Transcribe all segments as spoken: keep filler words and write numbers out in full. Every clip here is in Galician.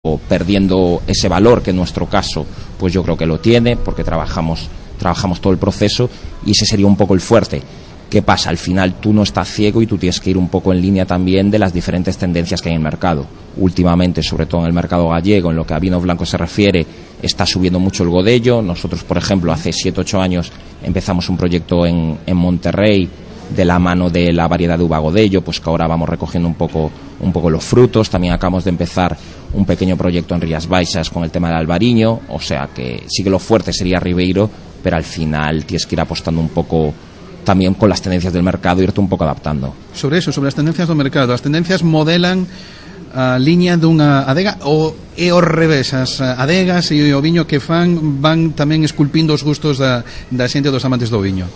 perdiendo ese valor que en nuestro caso pues yo creo que lo tiene, porque trabajamos trabajamos todo el proceso, y ese sería un poco el fuerte. ¿Qué pasa? Al final tú no estás ciego y tú tienes que ir un poco en línea también de las diferentes tendencias que hay en el mercado. Últimamente, sobre todo en el mercado gallego, en lo que a vinos blancos se refiere, está subiendo mucho el godello. Nosotros, por ejemplo, hace siete ocho años empezamos un proyecto en, en Monterrey de la mano de la variedad de uva godello, pues que ahora vamos recogiendo un poco, un poco los frutos. También acabamos de empezar un pequeño proyecto en Rías Baixas con el tema del albariño, o sea que sí que lo fuerte sería Ribeiro, pero al final tienes que ir apostando un poco también con las tendencias del mercado, irte un pouco adaptando. Sobre eso, sobre as tendencias do mercado, as tendencias modelan a liña dunha adega ou é ao revés, as adegas e o viño que fan van tamén esculpindo os gustos da, da xente dos amantes do viño?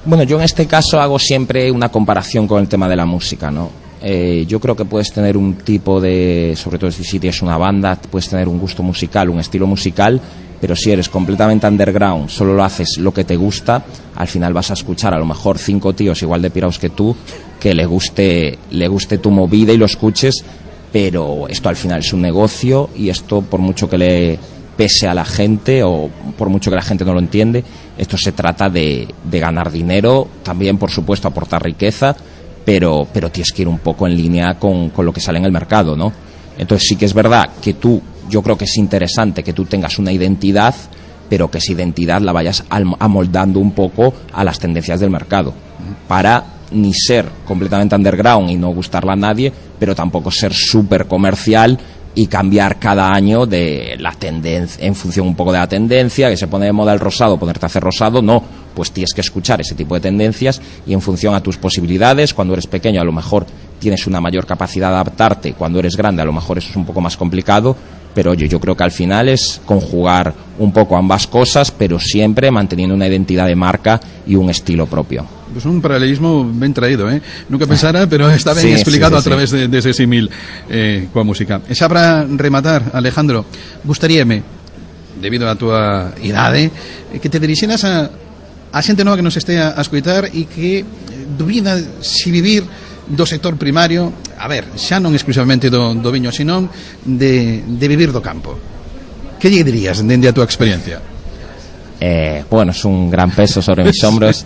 Bueno, yo en este caso hago siempre una comparación con el tema de la música, ¿no? Eh, yo creo que puedes tener un tipo de, sobre todo si tienes una banda, puedes tener un gusto musical, un estilo musical, pero si eres completamente underground, solo lo haces lo que te gusta, al final vas a escuchar a lo mejor cinco tíos igual de piraos que tú, que le guste, le guste tu movida y lo escuches, pero esto al final es un negocio, y esto, por mucho que le pese a la gente o por mucho que la gente no lo entiende, esto se trata de, de ganar dinero, también por supuesto aportar riqueza, pero, pero tienes que ir un poco en línea con, con lo que sale en el mercado, ¿no? Entonces sí que es verdad que tú, yo creo que es interesante que tú tengas una identidad, pero que esa identidad la vayas amoldando un poco a las tendencias del mercado, para ni ser completamente underground y no gustarle a nadie, pero tampoco ser súper comercial y cambiar cada año de la tendencia, en función un poco de la tendencia, que se pone de moda el rosado, ponerte a hacer rosado, no, pues tienes que escuchar ese tipo de tendencias y en función a tus posibilidades. Cuando eres pequeño a lo mejor tienes una mayor capacidad de adaptarte, cuando eres grande a lo mejor eso es un poco más complicado, pero oye, yo creo que al final es conjugar un poco ambas cosas, pero siempre manteniendo una identidad de marca y un estilo propio. Pues un paralelismo ben traído, eh? Nunca pensara, pero está ben sí, explicado sí, sí, a través sí. de, de ese símil eh, coa música. E xa para rematar, Alejandro, gustaríame, debido a túa idade, que te dirixeras a, a xente nova que nos estea a escoitar e que dubida si vivir do sector primario, a ver, xa non exclusivamente do, do viño, senón de, de vivir do campo. Que lle dirías dende a túa experiencia? Eh, bueno, es un gran peso sobre mis hombros.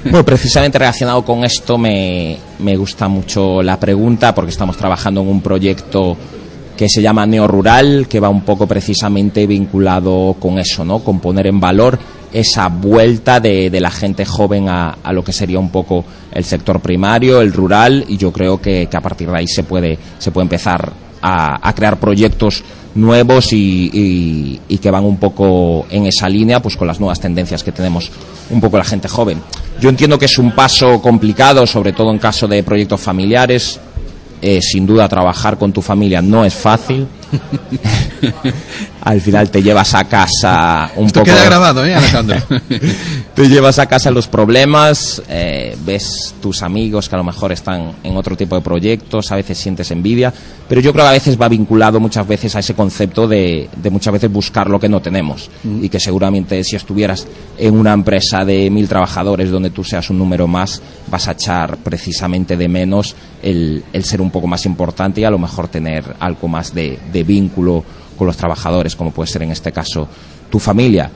Bueno, precisamente relacionado con esto me, me gusta mucho la pregunta, porque estamos trabajando en un proyecto que se llama Neo Rural, que va un poco precisamente vinculado con eso, ¿no? Con poner en valor esa vuelta de, de la gente joven a, a lo que sería un poco el sector primario, el rural, y yo creo que, que a partir de ahí se puede, se puede empezar a, a crear proyectos nuevos y, y, y que van un poco en esa línea, pues con las nuevas tendencias que tenemos un poco la gente joven. Yo entiendo que es un paso complicado, sobre todo en caso de proyectos familiares. Eh, sin duda trabajar con tu familia no es fácil. Al final te llevas a casa un Esto poco... queda grabado, ¿eh, Alejandro? Te llevas a casa los problemas, eh, ves tus amigos que a lo mejor están en otro tipo de proyectos, a veces sientes envidia, pero yo creo que a veces va vinculado muchas veces a ese concepto de, de muchas veces buscar lo que no tenemos, mm. y que seguramente si estuvieras en una empresa de mil trabajadores donde tú seas un número más, vas a echar precisamente de menos el, el ser un poco más importante y a lo mejor tener algo más de, de vínculo con los trabajadores, como puede ser en este caso tu familia.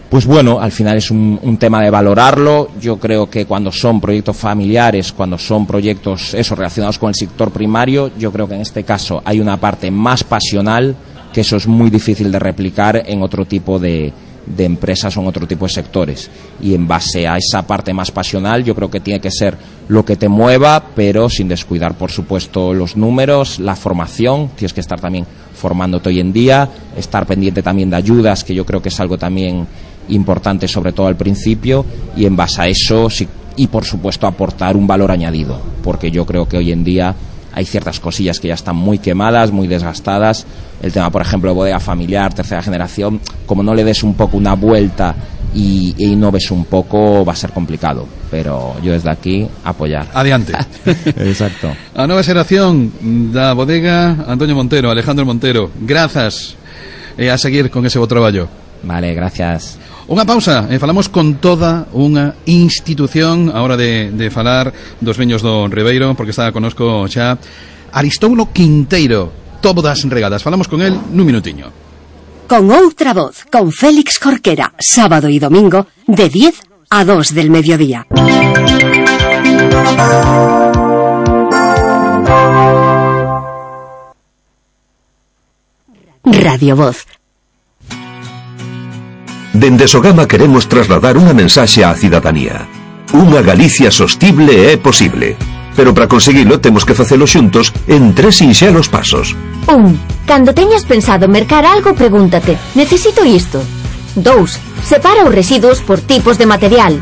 Pues bueno, al final es un, un tema de valorarlo. Yo creo que cuando son proyectos familiares, cuando son proyectos eso relacionados con el sector primario, yo creo que en este caso hay una parte más pasional, que eso es muy difícil de replicar en otro tipo de, de empresas o en otro tipo de sectores, y en base a esa parte más pasional yo creo que tiene que ser lo que te mueva, pero sin descuidar por supuesto los números, la formación. Tienes que estar también formándote hoy en día, estar pendiente también de ayudas, que yo creo que es algo también importante, sobre todo al principio, y en base a eso sí, y por supuesto aportar un valor añadido, porque yo creo que hoy en día hay ciertas cosillas que ya están muy quemadas, muy desgastadas. El tema, por ejemplo, de bodega familiar, tercera generación, como no le des un poco una vuelta y, e innoves un poco, va a ser complicado. Pero yo desde aquí, apoyar. Adiante. Exacto. A nova xeración da bodega Antonio Montero, Alejandro Montero, grazas, e a seguir con ese bo traballo. Vale, gracias. Unha pausa, e falamos con toda unha institución a hora de, de falar dos viños do Ribeiro, porque está conosco xa Aristóbulo Quinteiro, todas regadas. Falamos con él nun minutiño. Con Outra Voz, con Félix Jorquera, sábado y domingo, de diez a dos del mediodía. Radio Voz. Dende Sogama queremos trasladar unha mensaxe á cidadanía. Unha Galicia sostible é posible. Pero para conseguilo temos que facelo xuntos en tres sinxelos pasos. Un. Cando teñas pensado mercar algo, pregúntate: necesito isto? Dous. Separa os residuos por tipos de material.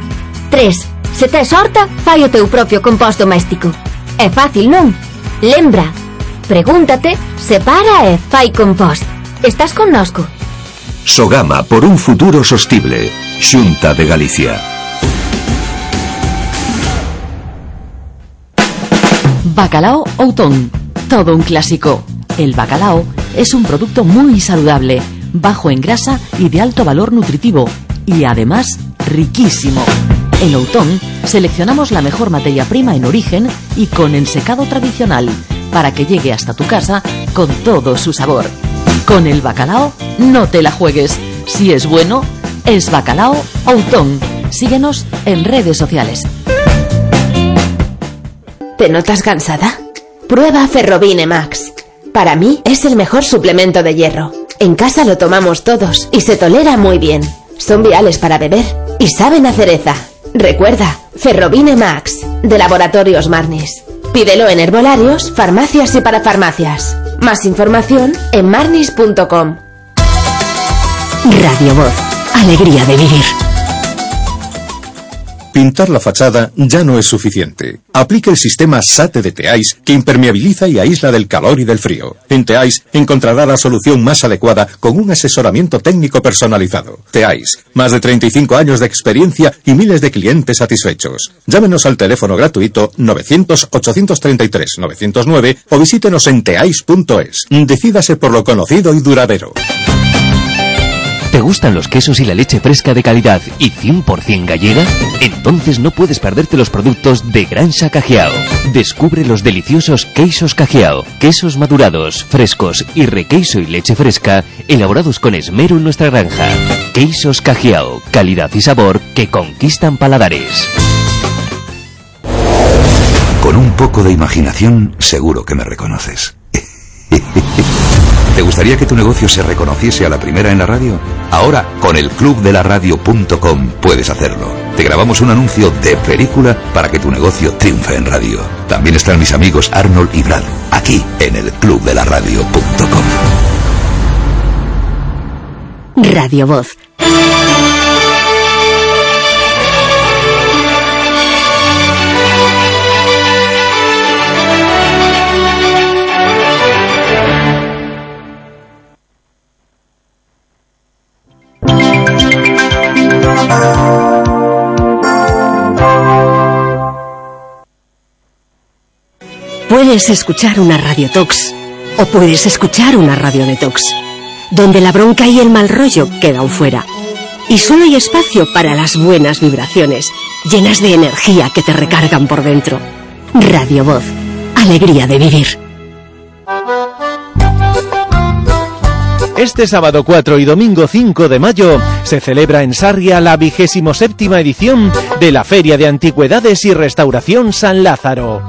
Tres. Se tes horta, fai o teu propio compost doméstico. É fácil, non? Lembra. Pregúntate, separa e fai compost. Estás connosco? Sogama por un futuro sostible. Xunta de Galicia. Bacalao Outón, todo un clásico. El bacalao es un producto muy saludable, bajo en grasa y de alto valor nutritivo, y además riquísimo. En Outón seleccionamos la mejor materia prima en origen y con ensecado tradicional, para que llegue hasta tu casa con todo su sabor. Con el bacalao no te la juegues. Si es bueno, es Bacalao Outón. Síguenos en redes sociales. ¿Te notas cansada? Prueba Ferrobine Max. Para mí es el mejor suplemento de hierro. En casa lo tomamos todos y se tolera muy bien. Son viales para beber y saben a cereza. Recuerda, Ferrobine Max, de Laboratorios Marnis. Pídelo en herbolarios, farmacias y parafarmacias. Más información en marnis punto com. Radio Voz, alegría de vivir. Pintar la fachada ya no es suficiente. Aplique el sistema SATE de Teais, que impermeabiliza y aísla del calor y del frío. En Teais encontrará la solución más adecuada con un asesoramiento técnico personalizado. Teais, más de treinta y cinco años de experiencia y miles de clientes satisfechos. Llámenos al teléfono gratuito novecientos, ochocientos treinta y tres, novecientos nueve o visítenos en teais punto es. Decídase por lo conocido y duradero. ¿Te gustan los quesos y la leche fresca de calidad y cien por cien gallega? Entonces no puedes perderte los productos de Granja Cajiao. Descubre los deliciosos queixos Cajiao, quesos madurados, frescos y requeiso y leche fresca, elaborados con esmero en nuestra granja. Queixos Cajiao, calidad y sabor que conquistan paladares. Con un poco de imaginación, seguro que me reconoces. ¿Te gustaría que tu negocio se reconociese a la primera en la radio? Ahora, con el club de la radio punto com puedes hacerlo. Te grabamos un anuncio de película para que tu negocio triunfe en radio. También están mis amigos Arnold y Brad, aquí en el club de la radio punto com. Radio Voz. Puedes escuchar una Radio Tox o puedes escuchar una Radio Detox, donde la bronca y el mal rollo quedan fuera. Y solo hay espacio para las buenas vibraciones, llenas de energía que te recargan por dentro. Radio Voz, alegría de vivir. Este sábado cuatro y domingo cinco de mayo se celebra en Sarria la vigésimo séptima edición de la Feria de Antigüedades y Restauración San Lázaro.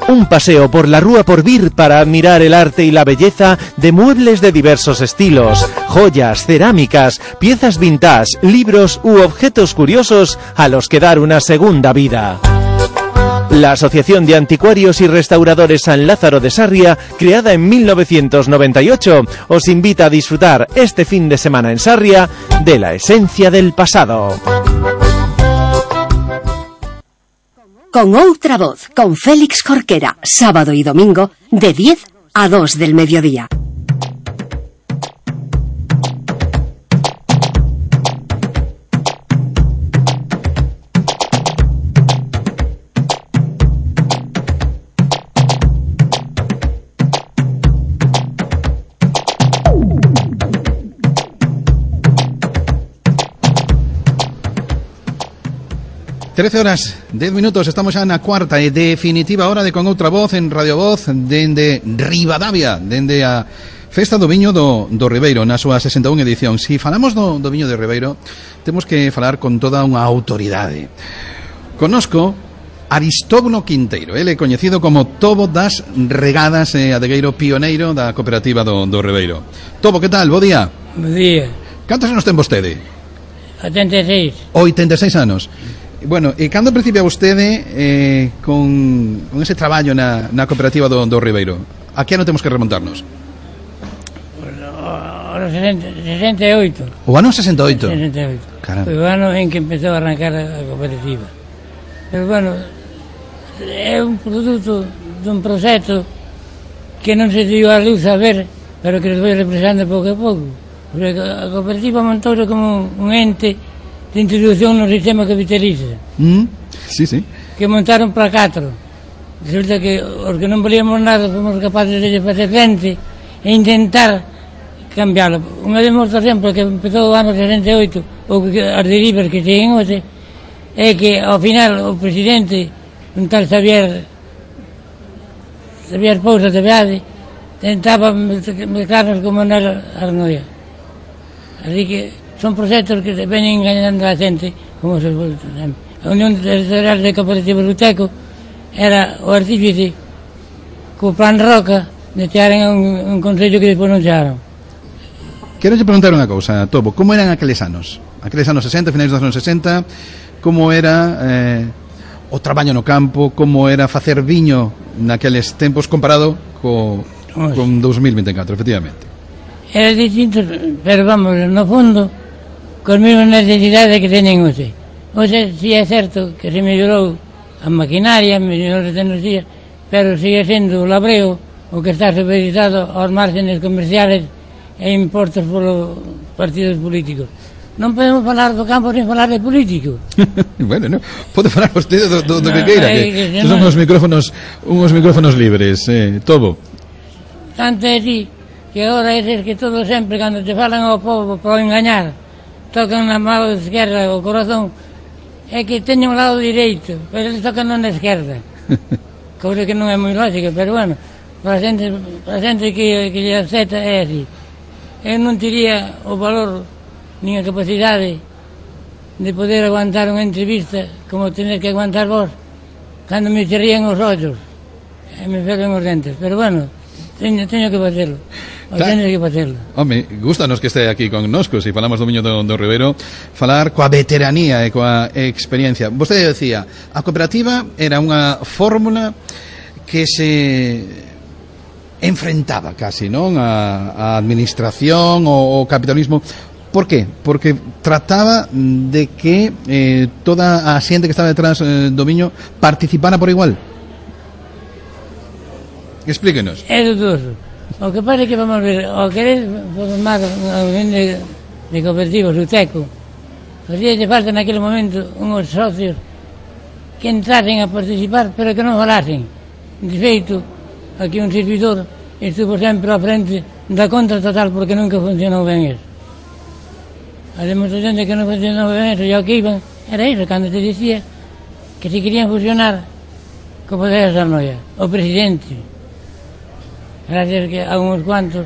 Un paseo por la Rúa Porvir para admirar el arte y la belleza de muebles de diversos estilos, joyas, cerámicas, piezas vintage, libros u objetos curiosos a los que dar una segunda vida. La Asociación de Anticuarios y Restauradores San Lázaro de Sarria, creada en mil novecientos noventa y ocho, os invita a disfrutar este fin de semana en Sarria de la esencia del pasado. Con Outra Voz, con Félix Jorquera, sábado y domingo, de diez a dos del mediodía. trece horas, dez minutos, estamos xa na cuarta e definitiva hora de Con Outra Voz en Radio Voz dende Ribadavia, dende a Festa do Viño do, do Ribeiro, na súa sesenta e unha edición. Si falamos do, do Viño de Ribeiro, temos que falar con toda unha autoridade. Conozco Aristóbulo Quinteiro, ele é coñecido como Tobo das Regadas e adegueiro pioneiro da cooperativa do, do Ribeiro. Tobo, que tal? Bo día. Bo día. Cantos anos ten vostede? oitenta e seis. oitenta e seis anos. Bueno, e cando principia vostede eh, con, con ese traballo na, na cooperativa do, do Ribeiro? A que ano temos que remontarnos? O sesenta e oito. O ano sesenta e oito? sesenta e oito. Caramba. Foi o ano en que empezou a arrancar a cooperativa. Pero, bueno, é un produto dun proxecto que non se dio a luz a ver, pero que se foi represando pouco a pouco. Porque a cooperativa montouse como un ente de introducción no sistema capitalista. Mm, sí, sí. Que montaron para catro. Resulta que os que non volíamos nada fomos capaces de facer frente e intentar cambiarlo. Unha demostración, porque empezou o ano sesenta e oito, ou que as derivas que seguen hoxe, é que ao final o presidente, un tal Xavier Xavier Pousa de Beade, tentaba mezclarnos con Manuel Arnoia. Así que son proxectos que veñen engañando a xente, como se foi sempre. A Unión Territorial de Cooperativas Uteco era o artífice co plan Roca de chearen a un, un consello que despois non chearon. Quero lle preguntar unha cousa, Tobo, como eran aqueles anos? Aqueles anos sesenta, finais dos anos sesenta, como era eh, o traballo no campo, como era facer viño naqueles tempos comparado co, con dos mil vinte e catro, efectivamente? Era distinto, pero vamos, no fondo, con mesmas necesidades que teñen hoxe. Hoxe, si é certo que se mellorou a maquinaria, mellorou as tecnologías, pero sigue sendo o labreo o que está supeditado aos márgenes comerciales e impostos polos partidos políticos. Non podemos falar do campo sin falar de político. Bueno, no, pode falar vostede do, do, do no, que queira, que, que, que son no, uns micrófonos, uns micrófonos libres, eh, Tobo. Tanto é así que agora é que todo sempre, cando te falan ao povo para engañar, tocan na mão esquerda o corazón, é que teñen un lado direito, pero eles tocan na esquerda. Cousa que non é moi lógica, pero bueno, para a xente, para a xente que, que lle acepta é así. Eu non teria o valor nin a capacidade de poder aguantar unha entrevista como tener que aguantar vos cando me cerrían os ollos e me ferven os dentes, pero bueno, teño, teño que facerlo. Teño que facerlo. Home, gustanos que este aquí con noscos, se falamos do Viño do, do Ribeiro, falar coa veteranía e coa experiencia. Vostede decía, a cooperativa era unha fórmula que se enfrentaba casi, non, a, a administración o, o capitalismo. Por qué? Porque trataba de que eh, toda a xente que estaba detrás eh, do viño participara por igual. Explíquenos. É dudoso. O que pasa é que, vamos ver, o querer formar unha unión de, de cooperativos, Uteco, facía falta naquele momento unhos socios que entrasen a participar, pero que non falasen. De feito, aquí un servidor estuvo sempre á frente da contra total porque nunca funcionou ben eso. A demostración de que non funcionou ben eso, e o que iban era eso, cando te dicía que se querían fusionar co poder de Arnoia, o presidente, gracias que a uns cuantos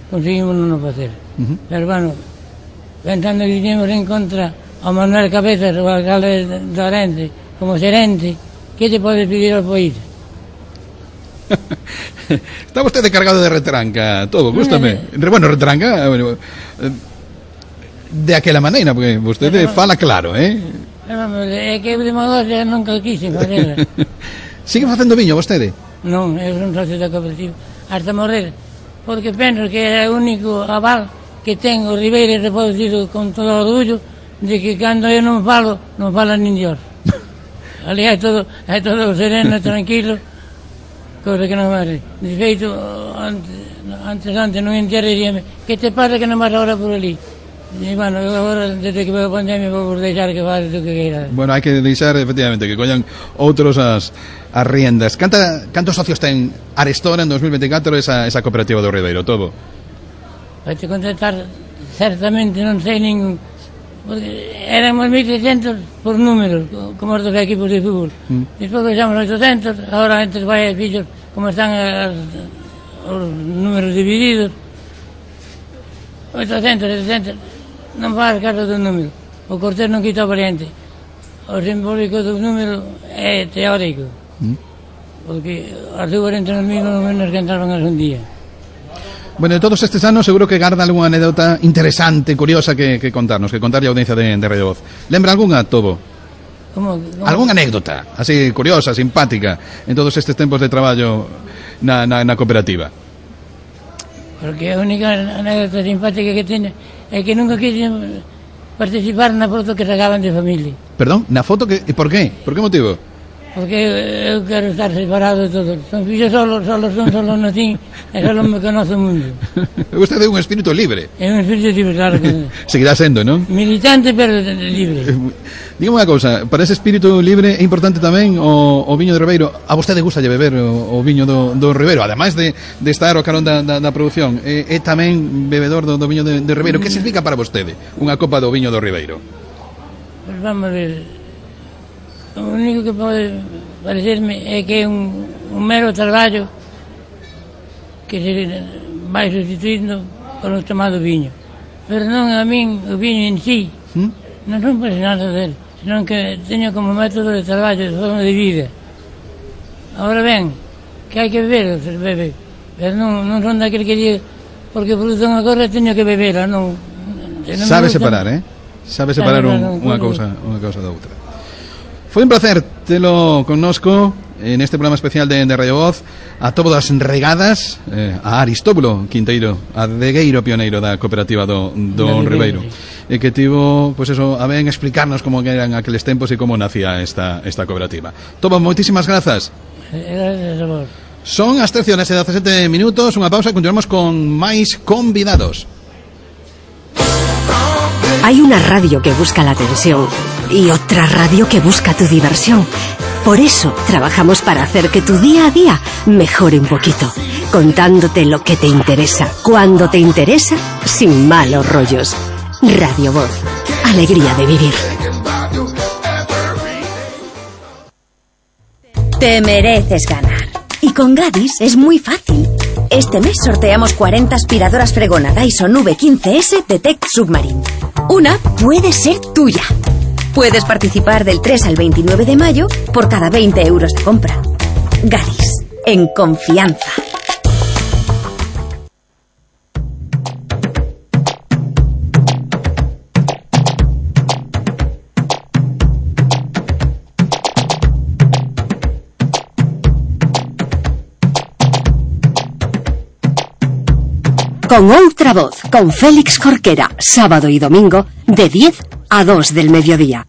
conseguimos non o facer. Uh-huh. Pero bueno, pensando que teníamos en contra ao Manuel Cabezas, o alcalde de Orense, como xerente, que te pode pedir ao país? Está vostede cargado de retranca, todo, gústame. Bueno, retranca, bueno, de aquela maneira, porque vostede fala claro, eh? É que de demagogia nunca quise facer. Sigue facendo viño vostede? Non, eu son socio da cooperativa hasta morrer, porque penso que é o único aval que ten o Ribeiro, se pode dicir con todo o orgullo, de que cando eu non falo, non fala nin Dios. Ali é todo, é todo sereno, tranquilo, cosa que non vale. De feito, antes, antes, antes non entero, diríame, que te pasa que non vas agora por ali? E, bueno, agora, desde que veo a pandemia, vou por deixar que vale o que queira. Bueno, hai que deixar, efectivamente, que collan outros as, as riendas. Canta, cantos socios ten Arestora en dos mil veinticuatro esa, esa cooperativa do Ribeiro, todo? Vai te contestar, certamente non sei nin porque éramos mil seiscentos por números, como os dos equipos de fútbol. Mm. Despois baixamos oitocentos, agora entre os pais e fillos, como están as, os números divididos, oitocentos, setecentos, non faz caso do número. O Cortés non quita o variante. O simbólico do número é teórico, mm. porque as dúas entre os mismos menos que entraban as un día. Bueno, de todos estes anos seguro que garda algunha anécdota interesante, curiosa que, que contarnos, que contarlle a audiencia de, de Radio Voz. Lembra algunha, Tobo? Como, como... Algunha anécdota, así curiosa, simpática, en todos estes tempos de traballo na, na, na cooperativa? Porque a única anécdota simpática que teño é que nunca quixen participar na foto que sacaban de familia. Perdón, na foto que... Por qué? Por que motivo? Porque eu quero estar separado de todos. Son fillos solos, solos son, solos non tin, e solo me conoce o mundo. Usted é un espírito libre. É un espírito libre, claro que... Seguirá sendo, non? Militante, pero libre. Dígame unha cousa, para ese espírito libre é importante tamén o, o viño de Ribeiro. A vostede gusta lle beber o, o viño do, do Ribeiro, ademais de, de estar ao carón da, da, da produción. É, é tamén bebedor do, do viño de, de Ribeiro. Que significa para vostede unha copa do viño do Ribeiro? Pois vamos ver... O único que pode parecerme é que é un, un mero traballo que se vai sustituindo con o tomado viño. Pero non a min o viño en sí, ¿Mm? non son apasionado del, senón que teño como método de traballo, de forma de vida. Ahora ben, que hai que beber, se bebe, pero non, non son daquele que diga porque produzo unha cosa teño que beberla, non. non Sabe separar, eh? Sabe separar un, unha cousa, unha cousa da outra. Foi un placer telo connosco en este programa especial de, de Radio Voz. A todas as regadas, eh, a Aristóbulo Quinteiro, adegueiro pioneiro da cooperativa do, do Ribeiro, e que tivo, pois pues eso, a ben explicarnos como eran aqueles tempos e como nacía esta, esta cooperativa. Tobo, moitísimas grazas. Gracias a vos. Son as trece horas e dezasete minutos, unha pausa e continuamos con máis convidados. Hay una radio que busca la atención y otra radio que busca tu diversión. Por eso trabajamos para hacer que tu día a día mejore un poquito, contándote lo que te interesa, cuando te interesa, sin malos rollos. Radio Voz, alegría de vivir. Te mereces ganar. Y con Gadis es muy fácil. Este mes sorteamos cuarenta aspiradoras fregona Dyson V quince ese de Tech Submarine. Una puede ser tuya. Puedes participar del tres al veintinueve de mayo por cada veinte euros de compra. Gadis, en confianza. Con Outra Voz, con Félix Jorquera, sábado y domingo, de diez a dos del mediodía.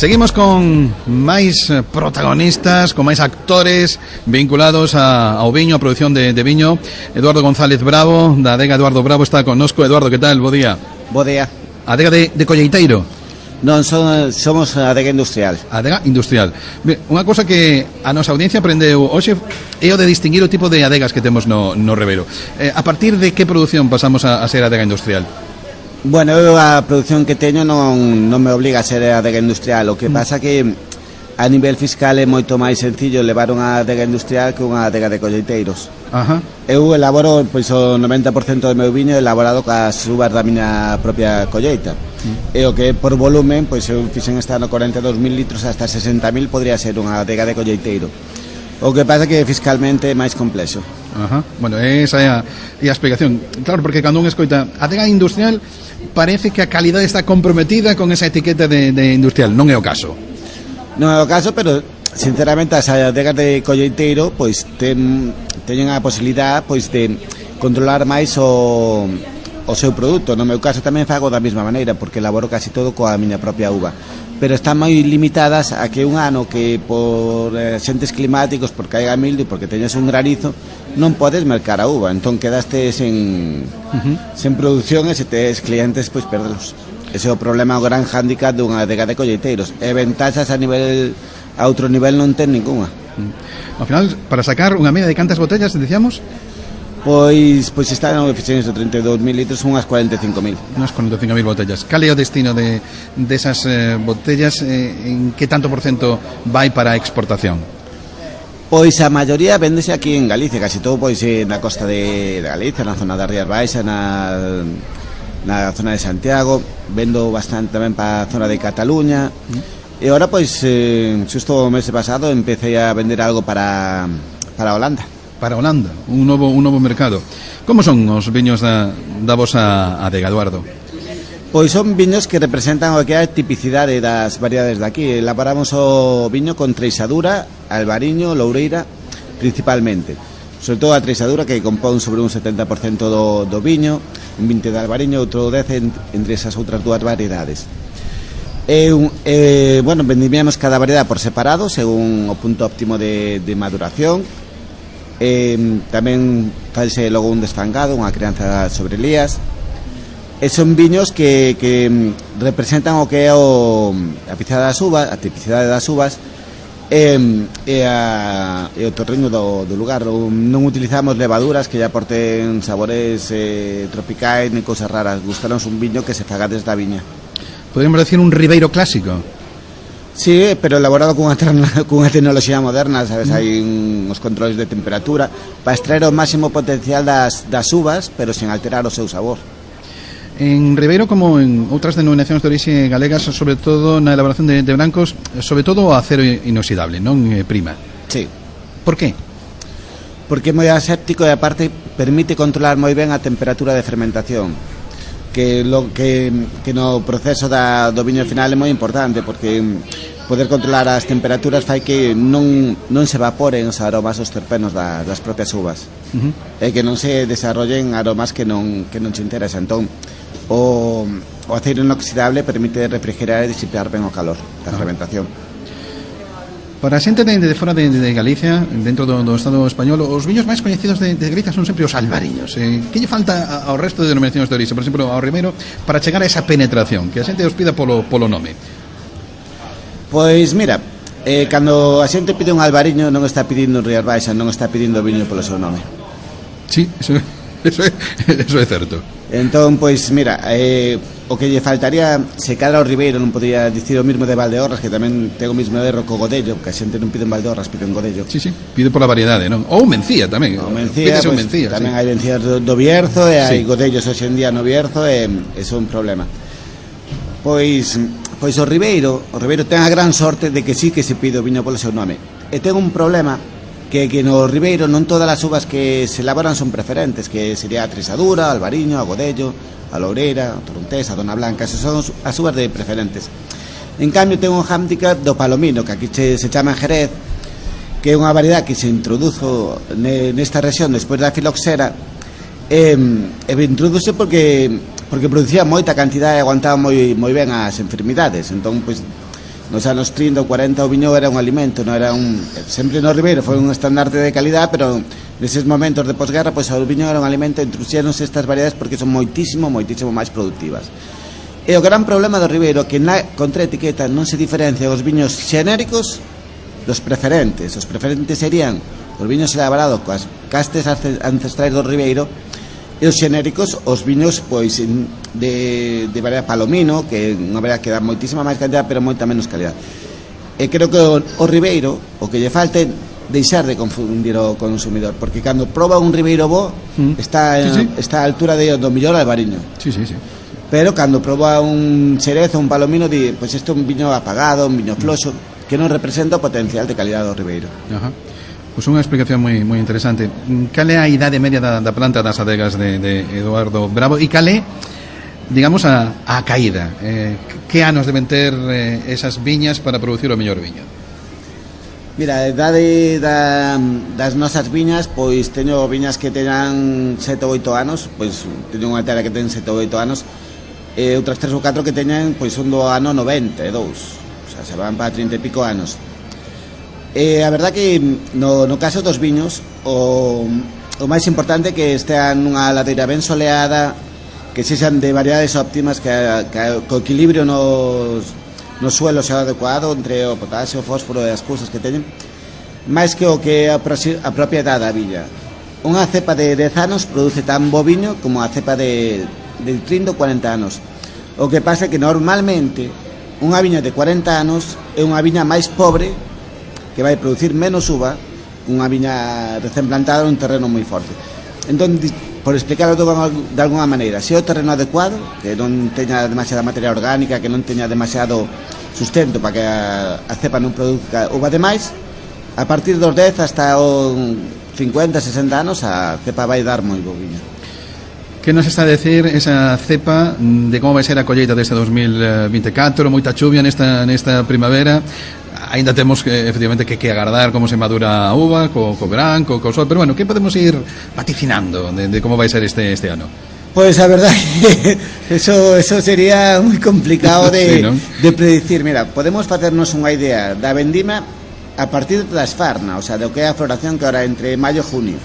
Seguimos con máis protagonistas, con máis actores vinculados a, ao viño, a produción de, de viño. Eduardo González Bravo, da adega Eduardo Bravo, está connosco. Eduardo, que tal? Bo día. Bo día. Adega de, de colleiteiro? Non, son, somos adega industrial. Adega industrial. Ben, unha cosa que a nosa audiencia aprendeu hoxe é o de distinguir o tipo de adegas que temos no, no Ribeiro. Eh, a partir de que produción pasamos a, a ser adega industrial? Bueno, eu a produción que teño non, non me obliga a ser adega industrial. O que mm. pasa que a nivel fiscal é moito máis sencillo levar unha adega industrial que unha adega de colleiteiros. Ajá. Eu elaboro, pois, o noventa por cento do meu viño elaborado cas uvas da miña propia colleita. Mm. E o que por volumen, pois eu fixen este ano corenta e dous mil litros, hasta sesenta mil podría ser unha adega de colleiteiro. O que pasa que fiscalmente é máis complexo. Ajá. Bueno, esa é a, é a explicación. Claro, porque cando un escoita adega industrial, parece que a calidade está comprometida con esa etiqueta de, de industrial. Non é o caso. Non é o caso, pero sinceramente as adegas de colleiteiro pois ten, teñen a posibilidade pois de controlar máis o, o seu produto. No meu caso tamén fago da mesma maneira, porque elaboro casi todo coa miña propia uva, pero están moi limitadas a que un ano que por eh, xentes climáticos, porque caiga mildio, porque teñas un granizo, non podes mercar a uva, entón quedaste sen, uh-huh. sen producción, e se tes clientes, pois perdelos. Ese é o problema, o gran hándicap dunha adega de colleiteiros. E ventaxas a nivel a outro nivel non ten ninguna. Uh-huh. Ao final, para sacar unha media de cantas botellas, decíamos? Pois pois están en oficinas de trinta e dous mil litros, unhas cuarenta e cinco mil. Unhas cuarenta e cinco mil botellas. Cal é o destino de desas de eh, botellas? Eh, en que tanto por cento vai para a exportación? Pois a maioría véndese aquí en Galicia, casi todo pois na costa de, de Galicia, na zona das Rías Baixas, na, na zona de Santiago. Vendo bastante tamén para a zona de Cataluña. Mm. E agora pois eh, xusto o mes pasado empecé a vender algo para para Holanda. Para Holanda, un novo un novo mercado. Como son os viños da, da vosa adega, Eduardo? Pois son viños que representan o que é a tipicidade das variedades de aquí. Elaboramos o viño con treixadura, albariño, loureira, principalmente. Sobre todo a treixadura, que compón sobre un setenta por cento do, do viño, un vinte de albariño, outro dez entre esas outras dúas variedades. E, eh, bueno, vendimos cada variedade por separado, según o punto óptimo de, de maduración. Eh, tamén false logo un desfangado, unha crianza sobre lías, e son viños que, que representan o que é o, a pizada das uvas, a tipicidade das uvas e, e, a, e o torriño do, do lugar. Non utilizamos levaduras que ya aporten sabores eh, tropicais ni cousas raras. Gustanos un viño que se faga desde a viña. Podríamos decir un ribeiro clásico. Sí, pero elaborado cunha, cunha tecnoloxía moderna, sabes, hai uns controles de temperatura para extraer o máximo potencial das, das uvas, pero sen alterar o seu sabor. En Ribeiro, como en outras denominacións de orixe galegas, sobre todo na elaboración de, de brancos, sobre todo o acero inoxidable, non eh, prima. Sí. Por qué? Porque é moi aséptico e aparte permite controlar moi ben a temperatura de fermentación, que lo que, que no proceso da, do viño final é moi importante, porque poder controlar as temperaturas fai que non, non se evaporen os aromas, os terpenos da, das propias uvas, uh-huh. e que non se desarrollen aromas que non, que non se interesan. Entón o, o aceiro inoxidable permite refrigerar e disipar ben o calor da uh-huh. fermentación. Para a xente de, de fora de, de Galicia, dentro do, do Estado español, os viños máis coñecidos de, de Galicia son sempre os albariños. Eh, que lle falta ao resto de denominacións de orixe, por exemplo, ao Ribeiro, para chegar a esa penetración, que a xente os pida polo, polo nome? Pois mira, eh, cando a xente pide un albariño non está pedindo un Rías Baixas, non está pedindo viño polo seu nome. Sí, eso, eso, é, eso é certo. Entón, pois mira, eh, o que lle faltaría, se cadra o Ribeiro, non podría dicir o mismo de Valdeorras, que tamén ten o mismo erro co Godello, que a xente non pide en Valdeorras, pide en Godello. Sí, sí, pide pola variedade, non? Ou Mencía tamén. O Mencía, pois, Mencía, tamén sí. Hai Mencías do, do Bierzo, e hai sí. Godellos hoxe en día no Bierzo, e é un problema. Pois, pois o Ribeiro, o Ribeiro ten a gran sorte de que sí que se pide o viño polo seu nome. E ten un problema, que, que no Ribeiro non todas as uvas que se elaboran son preferentes, que sería a treixadura, a albariño, a Godello, a loureira, a torrontés, a dona blanca, esas son as uvas de preferentes. En cambio ten un hándicap do palomino, que aquí se, se chama Jerez, que é unha variedade que se introduzo nesta rexión despois da filoxera, e, e introduce porque porque producía moita cantidade e aguantaba moi moi ben as enfermidades. Entón, pois, nos anos trinta ou cuarenta o viño era un alimento, non era un, sempre no Ribeiro foi un estandarte de calidad, pero neses momentos de posguerra, pois o viño era un alimento, introduxéronse estas variedades porque son moitísimo, moitísimo máis productivas. E o gran problema do Ribeiro que na contraetiqueta non se diferencian os viños xenéricos dos preferentes. Os preferentes serían os viños elaborados coas castes ancestrais do Ribeiro, e os xenéricos, os viños pois de, de variedade palomino, que é unha variedade que dá moitísima máis calidad pero moita menos calidad. E creo que o, o Ribeiro, o que lle falte deixar de confundir o consumidor, porque cando proba un Ribeiro bo mm. está, sí, sí. está a altura de, do millor albariño, sí, sí, sí. pero cando proba un Xerez ou un palomino di, pois isto é un viño apagado, un viño floxo, que non representa o potencial de calidad do Ribeiro. Ajá. Pois unha explicación moi moi interesante. Cal é a idade media da, da planta das adegas de, de Eduardo Bravo e cal é, digamos, a, a caída? Eh, que anos deben ter eh, esas viñas para producir o mellor viño? Mira, a idade da, das nosas viñas, pois teño viñas que teñan sete ou oito anos, pois teño unha terra que ten sete ou oito anos, e outras tres ou catro que teñen pois un do ano noventa e dous, o sea, se van para trinta e pico anos. E a verdad que no, no caso dos viños o, o máis importante é que estean nunha ladeira ben soleada, que sexan de variedades óptimas, que, que, que o equilibrio nos, nos suelos sea adecuado entre o potasio, o fósforo e as cousas que teñen, máis que o que a, a propia edad da viña. Unha cepa de dez anos produce tan bo viño como a cepa de, de trinta ou cuarenta anos. O que pasa é que normalmente unha viña de cuarenta anos é unha viña máis pobre, que vai producir menos uva, unha viña recén plantada nun terreno moi forte. Entón, por explicarlo de alguna maneira, se é o terreno adecuado, que non teña demasiada materia orgánica, que non teña demasiado sustento para que a, a cepa non produzca uva demais, a partir dos dez hasta o cincuenta, sesenta anos a cepa vai dar moi bo viño. Que nos está a decir esa cepa de como vai ser a colleita deste dos mil vinte e catro? Moita chuvia nesta, nesta primavera, ainda temos que, efectivamente, que, que agardar como se madura a uva, co, co verán, co, co sol, pero bueno, que podemos ir vaticinando de, de como vai ser este, este ano? Pues a verdad que eso, eso sería moi complicado de, sí, ¿no? de predicir. Mira, podemos facernos unha idea da vendima a partir da esfarna, o sea, do que é a floración, que ahora entre maio e junio.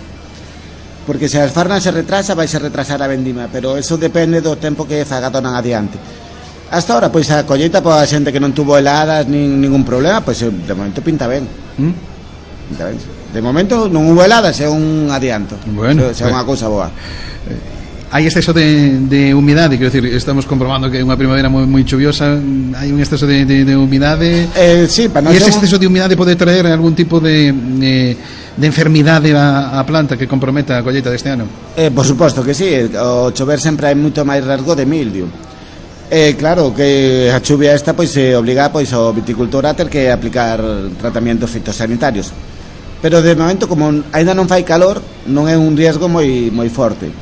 Porque se a esfarna se retrasa, vai se retrasar a vendima, pero eso depende do tempo que faga donan adiante. Hasta ahora, pois a colleita para a xente que non tuvo heladas nin ningún problema, pois de momento pinta ben. ¿Mm? Pinta ben. De momento non hubo heladas, é un adianto. Bueno, é unha cousa boa. Hai exceso de, de humidade, quero decir, estamos comprobando que é unha primavera moi, moi chuviosa, hai un exceso de, de, de humidade. Eh, sí, para non e ese exceso de humidade pode traer algún tipo de, de, de enfermidade a, a planta que comprometa a colleita deste ano? Eh, por suposto que sí, o chover sempre hai moito máis riesgo de mildio. Eh, claro, que a chuvia esta pois se obliga pois ao viticultor a ter que aplicar tratamentos fitosanitarios. Pero de momento, como ainda non fai calor, non é un riesgo moi moi forte.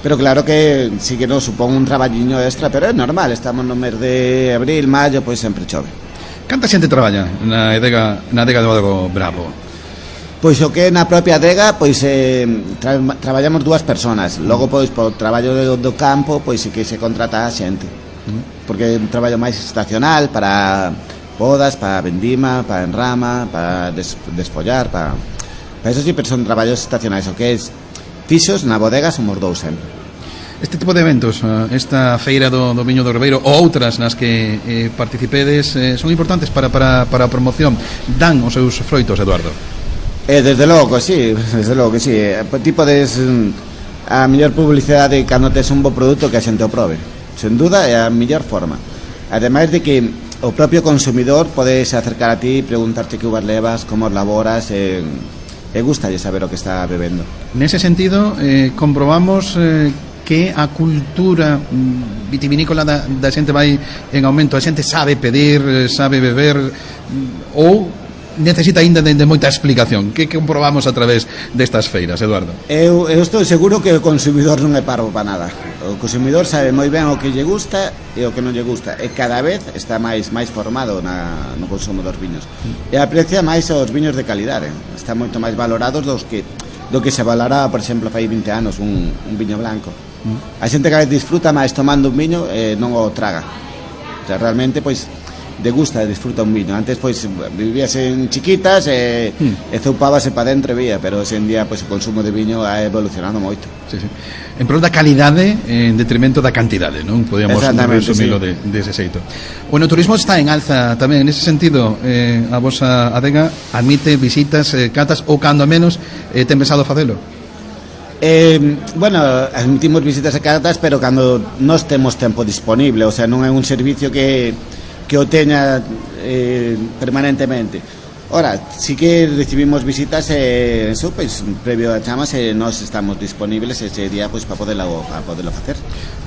Pero claro que sí que nos supón un traballiño extra, pero é normal, estamos no mes de abril, maio, pois sempre chove. Canta xente traballa na adega, na adega de Eduardo Bravo? Pois o que na propia adega, pois eh, tra traballamos dúas persoas. Logo, pois, por traballo do, do campo, pois sí que se contrata a xente. Porque é un traballo máis estacional para podas, para vendima, para enrama, para des, desfollar, para... para eso sí, pero son traballos estacionais. O que é fixos na bodega somos dous sempre. Este tipo de eventos, esta feira do, do Viño do Ribeiro ou outras nas que eh, participedes, eh, son importantes para, para, para a promoción. Dan os seus froitos, Eduardo? Eh, desde logo, sí, desde logo que sí. Ti podes a mellor publicidade cando tes un bo produto que a xente o probe. Sen duda é a mellor forma. Ademais de que o propio consumidor podes acercar a ti e preguntarte que uvas levas, como os laboras, e, e gustalle saber o que está bebendo. Nese sentido, eh, comprobamos eh, que a cultura vitivinícola da, da xente vai en aumento. A xente sabe pedir, sabe beber, ou necesita ainda de, de moita explicación. Que comprobamos a través destas feiras, Eduardo? Eu, eu estou seguro que o consumidor non é parvo para nada. O consumidor sabe moi ben o que lle gusta e o que non lle gusta, e cada vez está máis máis formado na, no consumo dos viños, e aprecia máis os viños de calidade. Están moito máis valorados dos que do que se valoraba, por exemplo, fai vinte anos un, un viño blanco. A xente cada vez disfruta máis tomando un viño e non o traga. O sea, realmente, pois, degusta e disfruta un viño. Antes, pois, vivías en chiquitas e, mm. e zoupábase para dentro e vía, pero hoxe en día, pois, o consumo de viño ha evolucionado moito. Sí, sí. En prol da calidade en detrimento da cantidade, non? Podíamos resumilo sí. de, de ese xeito. O enoturismo está en alza tamén. En ese sentido, eh, a vosa adega admite visitas, eh, catas, ou cando menos eh, ten pensado facelo? Eh, bueno, admitimos visitas e catas, pero cando nós temos tempo disponible, o sea, non é un servicio que que o teña eh, permanentemente. Ahora, sí que recibimos visitas, eh, eso, pues, previo a chamas, eh, nos estamos disponibles ese día, pues, para poderlo, para poderlo hacer.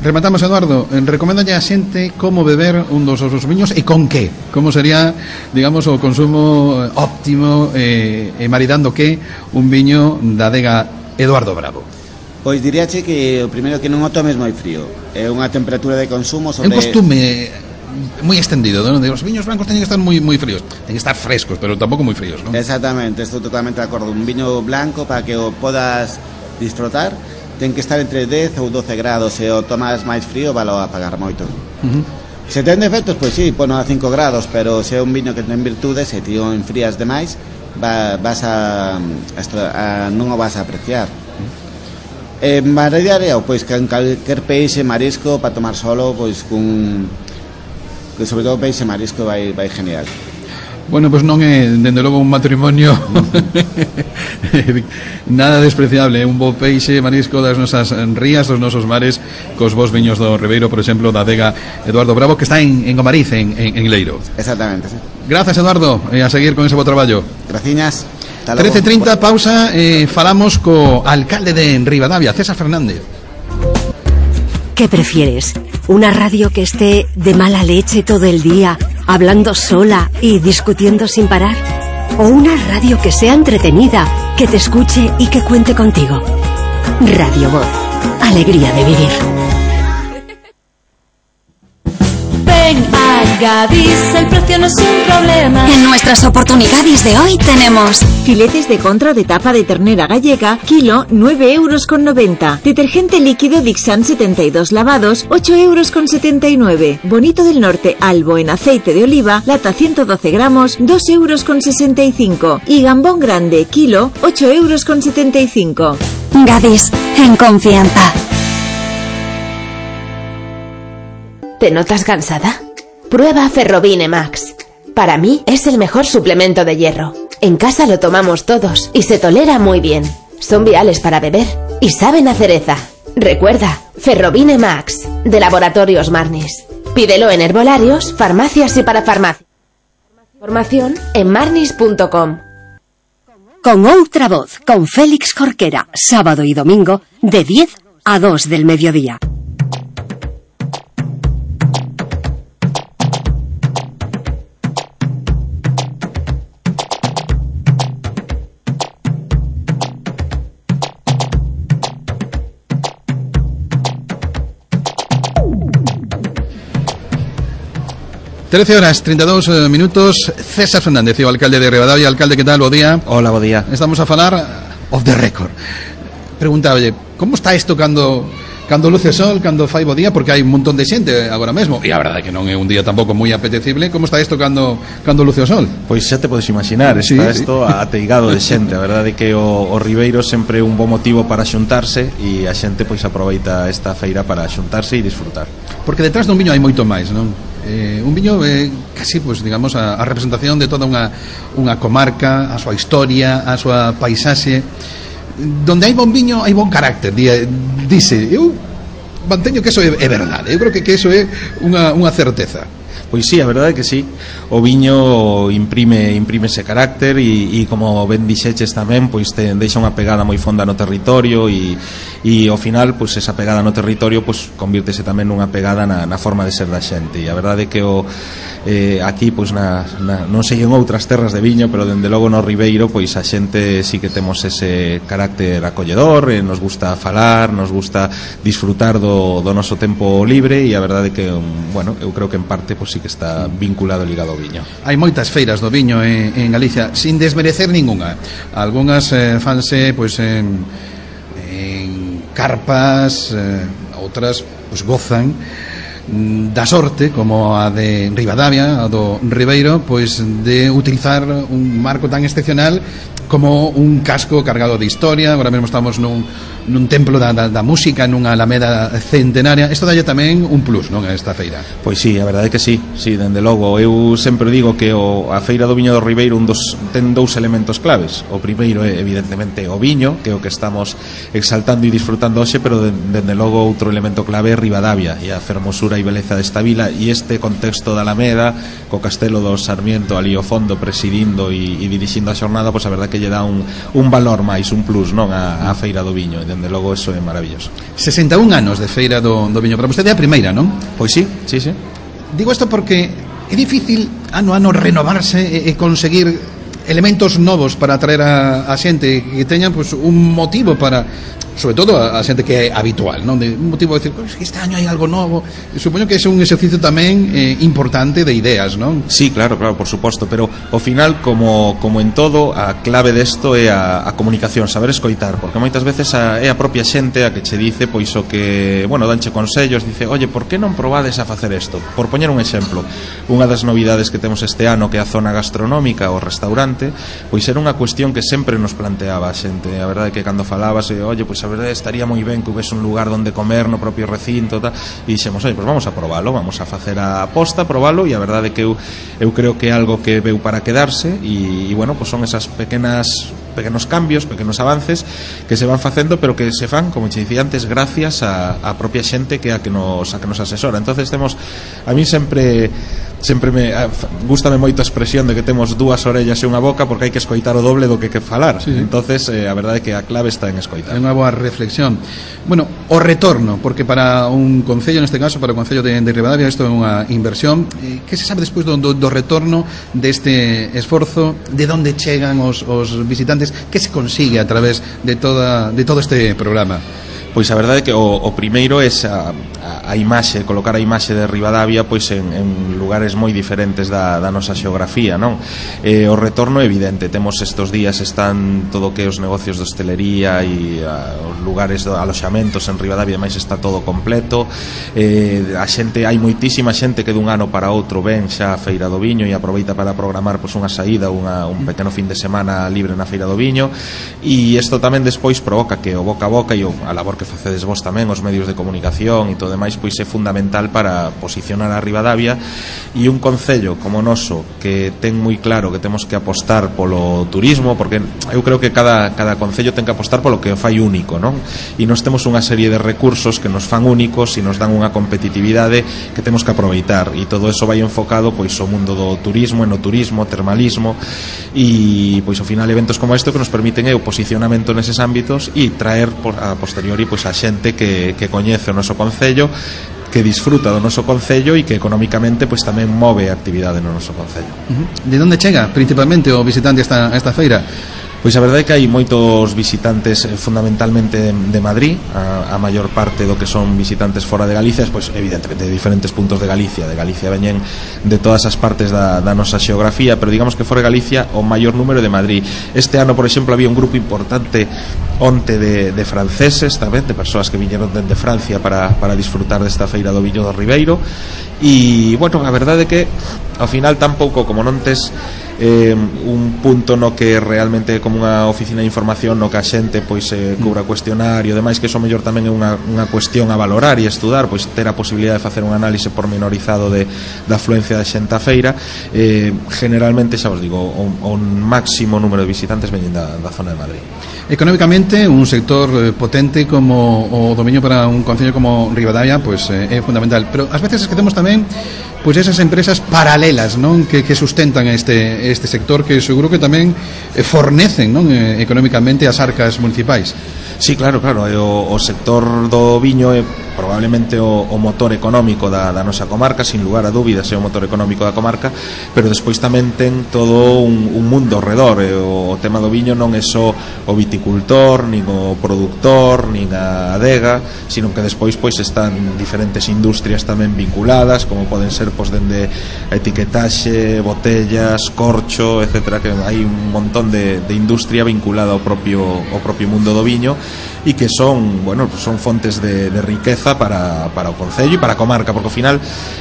Rematamos, Eduardo, eh, recomendalle a xente como beber un dos osos viños e con que? Como sería, digamos, o consumo óptimo eh, e maridando que un viño da adega Eduardo Bravo? Pois diríache que o primeiro que non o tomes moi frío. É unha temperatura de consumo sobre... É un costume moi extendido, non? Os viños blancos teñen que estar moi moi fríos, teñen que estar frescos, pero tampouco moi fríos, non? Exactamente, estou totalmente de acordo. Un viño blanco, para que o podas disfrutar, ten que estar entre dez ou doce grados. Se o tomas máis frío, valo a pagar moito. Uh-huh. Se ten defectos, pois sí, pono a cinco grados, pero se é un viño que ten virtudes, se ti o enfrías demais, va, vas a, a, a non o vas a apreciar. Eh, Maradiareo, pois que en calquer peixe, marisco, para tomar solo, pois cun, que sobre todo peixe marisco vai, vai genial. Bueno, pois non é, dende logo, un matrimonio nada despreciable, un bo peixe marisco das nosas rías, dos nosos mares, cos vos viños do Ribeiro, por exemplo, da adega Eduardo Bravo, que está en, en Gomariz, en, en, en Leiro. Exactamente, sí. Gracias, Eduardo, e a seguir con ese bo traballo. Graciñas. trece treinta, pausa, eh, falamos co alcalde de Ribadavia, César Fernández. ¿Qué prefieres? ¿Una radio que esté de mala leche todo el día, hablando sola y discutiendo sin parar? ¿O una radio que sea entretenida, que te escuche y que cuente contigo? Radio Voz, alegría de vivir. Ven a Gadis, el precio no es un problema. En nuestras oportunidades de hoy tenemos filetes de contra de tapa de ternera gallega, kilo nueve euros con noventa. Detergente líquido Dixan setenta y dos lavados, ocho euros con setenta y nueve. Bonito del Norte Albo en aceite de oliva, lata ciento doce gramos, dos euros con sesenta y cinco. Y gambón grande, kilo, ocho euros con setenta y cinco. Gadis, en confianza. ¿Te notas cansada? Prueba Ferrobine Max. Para mí es el mejor suplemento de hierro. En casa lo tomamos todos y se tolera muy bien. Son viales para beber y saben a cereza. Recuerda, Ferrobine Max, de Laboratorios Marnis. Pídelo en herbolarios, farmacias y para farmacias. Información en marnis punto com. Con Outra Voz, con Félix Jorquera, sábado y domingo, de diez a dos del mediodía. trece horas, treinta e dous minutos. César Fernández, o alcalde de Ribadavia. Alcalde, que tal? Bo día. Hola, bo día. Estamos a falar off the record. Preguntaba, oye, como está isto cando cando luce sol, cando fai bo día? Porque hai un montón de xente agora mesmo. E a verdade é que non é un día tampouco moi apetecible. Como está isto cando cando luce o sol? Pois xa te podes imaginar, está sí, isto sí. ateigado de xente. A verdade é que o, o Ribeiro sempre é un bo motivo para xuntarse, e a xente pois aproveita esta feira para xuntarse e disfrutar. Porque detrás dun viño hai moito máis, non? Eh, un viño é eh, casi, pues, digamos, a, a representación de toda unha, unha comarca, a súa historia, a súa paisaxe. Donde hai bon viño hai bon carácter, dice. Eu manteño que eso é, é verdade. Eu creo que, que eso é unha, unha certeza. Pois sí, a verdade é que sí. O viño imprime imprime ese carácter, e, e como ben dixeches tamén, pois te deixa unha pegada moi fonda no territorio, e, e ao final, pois esa pegada no territorio, pois convírtese tamén nunha pegada na, na forma de ser da xente. E a verdade é que o eh, aquí, pois na, na, non sei en outras terras de viño, pero dende logo no Ribeiro, pois a xente sí que temos ese carácter acolledor, e nos gusta falar, nos gusta disfrutar do, do noso tempo libre, e a verdade é que, bueno, eu creo que en parte, pois sí que está vinculado, ligado ao viño. Hai moitas feiras do viño en, en Galicia, sin desmerecer ninguna. Algunhas eh, fanse pois en, en carpas, eh, outras pois gozan da sorte, como a de Ribadavia, a do Ribeiro, pois de utilizar un marco tan excepcional como un casco cargado de historia. Agora mesmo estamos nun nun templo da, da, da música, nunha alameda centenaria. Isto dalle tamén un plus, non, a esta feira? Pois sí, a verdade é que sí, sí, dende logo. Eu sempre digo que o, a Feira do Viño do Ribeiro un dos, ten dous elementos claves. O primeiro é, evidentemente, o viño, que é o que estamos exaltando e disfrutando hoxe, pero dende logo outro elemento clave é Ribadavia e a fermosura e beleza desta vila, e este contexto da Alameda, co Castelo do Sarmiento ali ao fondo presidindo e, e dirixindo a xornada, pois a verdade que lle dá un, un valor máis, un plus, non, a, a Feira do Viño, e dende logo eso é maravilloso. sesenta e un anos de Feira do, do Viño, para vostede é a primeira, non? Pois sí, sí, sí. Digo isto porque é difícil ano a ano renovarse e, e conseguir elementos novos para atraer a, a xente que teñan pues, un motivo para, sobre todo a, a xente que é habitual, non? De un motivo de decir, pues, este año hai algo novo. E supoño que é un exercicio tamén eh, importante de ideas, non? Sí, claro, claro, por suposto, pero ao final, como, como en todo, a clave desto é a, a comunicación, saber escoitar, porque moitas veces a, é a propia xente a que che dice, pois o que, bueno, danche consellos, dice, oye, por que non probades a facer isto? Por poñer un exemplo, unha das novidades que temos este ano, que é a zona gastronómica, o restaurante, pois era unha cuestión que sempre nos planteaba a xente. A verdade é que cando falabas, oye, pois a verdade estaría moi ben que houvese un lugar onde comer no propio recinto, tal, e dixemos, oye, pois vamos a probalo, vamos a facer a aposta, probalo, e a verdade é que eu, eu creo que é algo que veu para quedarse, e, e bueno, pois son esas pequenas pequenos cambios, pequenos avances que se van facendo, pero que se fan, como che dicía antes, gracias a, a propia xente que a que nos a que nos asesora. Entonces temos, a mí sempre sempre me gústame moito a expresión de que temos dúas orellas e unha boca, porque hai que escoitar o doble do que que falar. Sí, sí. Entonces eh, a verdade é que a clave está en escoitar. É unha boa reflexión. Bueno, o retorno, porque para un concello, neste caso para o concello de, de Ribadavia, isto é unha inversión. Eh, que se sabe despois do, do, do retorno deste esforzo? De onde chegan os, os visitantes? Que se consigue a través de toda de todo este programa? Pois a verdade é que o, o primeiro é a, a, a imaxe, colocar a imaxe de Ribadavia pois en, en lugares moi diferentes da, da nosa xeografía, non? Eh, o retorno é evidente, temos estes días están todo o que os negocios de hostelería e a, os lugares de aloxamentos en Ribadavia, máis está todo completo. Eh, a xente, hai moitísima xente que dun ano para outro ven xa a Feira do Viño e aproveita para programar pois unha saída, unha, un pequeno fin de semana libre na Feira do Viño, e isto tamén despois provoca que o boca a boca e o, a labor que facedes vos tamén, os medios de comunicación e todo demais, pois é fundamental para posicionar a Ribadavia, e un concello como o noso que ten moi claro que temos que apostar polo turismo, porque eu creo que cada, cada concello ten que apostar polo que o fai único, non? E nós temos unha serie de recursos que nos fan únicos e nos dan unha competitividade que temos que aproveitar, e todo eso vai enfocado pois ao mundo do turismo, enoturismo, termalismo, e pois ao final eventos como este que nos permiten é o posicionamento neses ámbitos e traer a posteriori pois a xente que, que coñece o noso concello, que disfruta do noso concello e que económicamente pois tamén move a actividade no noso concello. Uh-huh. De onde chega principalmente o visitante a esta, a esta feira? Pois a verdade é que hai moitos visitantes fundamentalmente de Madrid, a, a maior parte do que son visitantes fora de Galicia, pois evidentemente de diferentes puntos de Galicia, de Galicia veñen de todas as partes da, da nosa xeografía, pero digamos que fora de Galicia o maior número de Madrid. Este ano, por exemplo, había un grupo importante onte de, de franceses tamén, de persoas que viñeron dende Francia para, para disfrutar desta Feira do Viño do Ribeiro, e, bueno, a verdade é que ao final tampouco, como non tes eh, un punto no que realmente como unha oficina de información no que a xente pois eh, cubra cuestionario e demais, que iso mellor tamén é unha, unha cuestión a valorar e estudar, pois ter a posibilidade de facer un análise pormenorizado de, da afluencia de xente a feira. eh, generalmente, xa vos digo, o, o máximo número de visitantes veñen da, da zona de Madrid. Económicamente, un sector potente como o do Viño para un concello como Ribadavia pois eh, é fundamental, pero ás veces esquecemos tamén pois esas empresas paralelas, non, que, que sustentan este, este sector, que seguro que tamén fornecen, non, eh, económicamente as arcas municipais. Sí, claro, claro, o, o sector do viño é probablemente o, o motor económico da, da nosa comarca, sin lugar a dúbidas é o motor económico da comarca, pero despois tamén ten todo un, un mundo ao redor. E o, o tema do viño non é só o viticultor, nin o produtor, nin a adega, sino que despois pois están diferentes industrias tamén vinculadas, como poden ser pois dende a etiquetaxe, botellas, corcho, etcétera, que hai un montón de, de industria vinculada ao propio, ao propio mundo do viño. e que son, bueno, son fontes de, de riqueza para, para o concello e para a comarca, porque ao final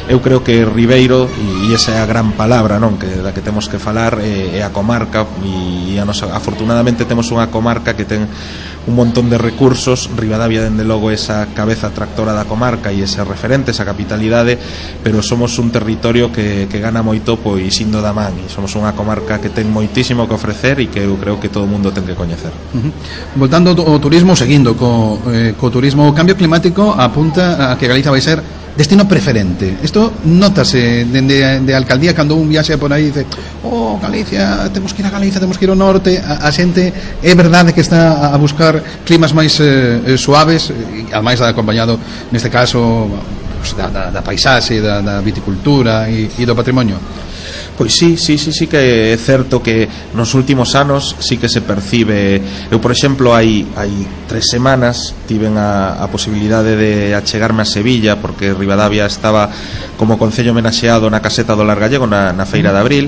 eu creo que Ribeiro, e esa é a gran palabra, non, que da que temos que falar, é, é a comarca, e a nosa, afortunadamente temos unha comarca que ten un montón de recursos. Ribadavia, dende logo, esa cabeza tractora da comarca e ese referente, esa capitalidade, pero somos un territorio que, que gana moito pois indo da man, e somos unha comarca que ten moitísimo que ofrecer e que eu creo que todo o mundo ten que coñecer. Uh-huh. Voltando ao turismo, seguindo co, eh, co turismo, o cambio climático apunta a que Galicia vai ser destino preferente. Isto notase dende de alcaldía cando un viaxe por aí e dice, oh, Galicia, temos que ir a Galicia, temos que ir ao norte. A, a xente é verdade que está a buscar climas máis eh, suaves, e ademais acompañado neste caso pues, da, da, da paisaxe, da, da viticultura e, e do patrimonio. Pois sí, sí, sí, sí que é certo que nos últimos anos sí que se percibe. Eu, por exemplo, hai, hai tres semanas tiven a, a posibilidade de achegarme a Sevilla, porque Ribadavia estaba como concello homenaxeado na caseta do Lar Gallego na, na feira de abril,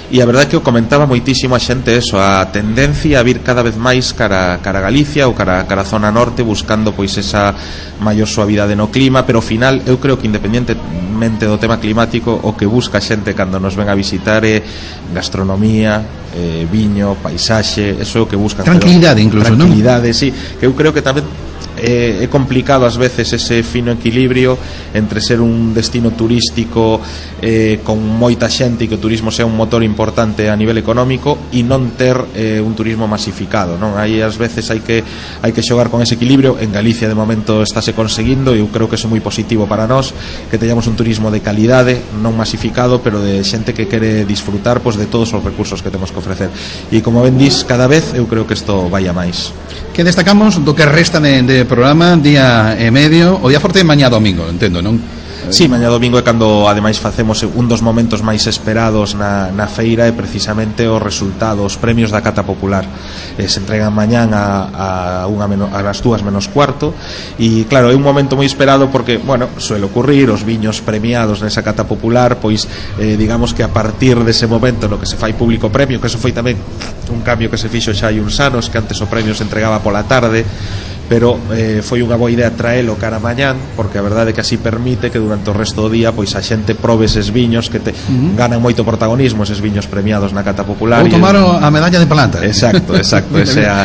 e a verdade é que eu comentaba moitísimo a xente eso, a tendencia a vir cada vez máis cara, cara a Galicia ou cara, cara a zona norte, buscando pois esa maior suavidade no clima, pero ao final eu creo que independentemente do tema climático, o que busca a xente cando nos ven a visitar é gastronomía, eh, viño, paisaxe, eso é o que buscan. Tranquilidade, incluso, non? Tranquilidade, sí, que eu creo que tamén é, é complicado ás veces ese fino equilibrio entre ser un destino turístico eh, con moita xente e que o turismo sea un motor importante a nivel económico e non ter eh, un turismo masificado, non? Aí ás veces hai que hai que xogar con ese equilibrio. En Galicia de momento estáse conseguindo e eu creo que é moi positivo para nós que teñamos un turismo de calidade, non masificado, pero de xente que quere disfrutar pois, de todos os recursos que temos que ofrecer. E como ben dis, cada vez eu creo que isto vai a máis. Que destacamos do que resta de, de programa, día e medio, o día forte mañá domingo, entendo, non? Sí, mañá domingo é cando ademais facemos un dos momentos máis esperados na, na feira, e precisamente os resultados, os premios da Cata Popular. Eh, se entregan mañán a, a, unha menos, a las dúas menos cuarto, e claro, é un momento moi esperado porque, bueno, suele ocurrir os viños premiados nesa Cata Popular, pois eh, digamos que a partir dese momento no que se fai público premio, que eso foi tamén un cambio que se fixo xa hai uns anos, que antes o premio se entregaba pola tarde, pero eh, foi unha boa idea traelo cara mañán, porque a verdade é que así permite que durante o resto do día pois a xente probe eses viños que te uh-huh. ganan moito protagonismo, eses viños premiados na Cata Popular. Ou tomaron a medalla de plata. Exacto, exacto, esa é a,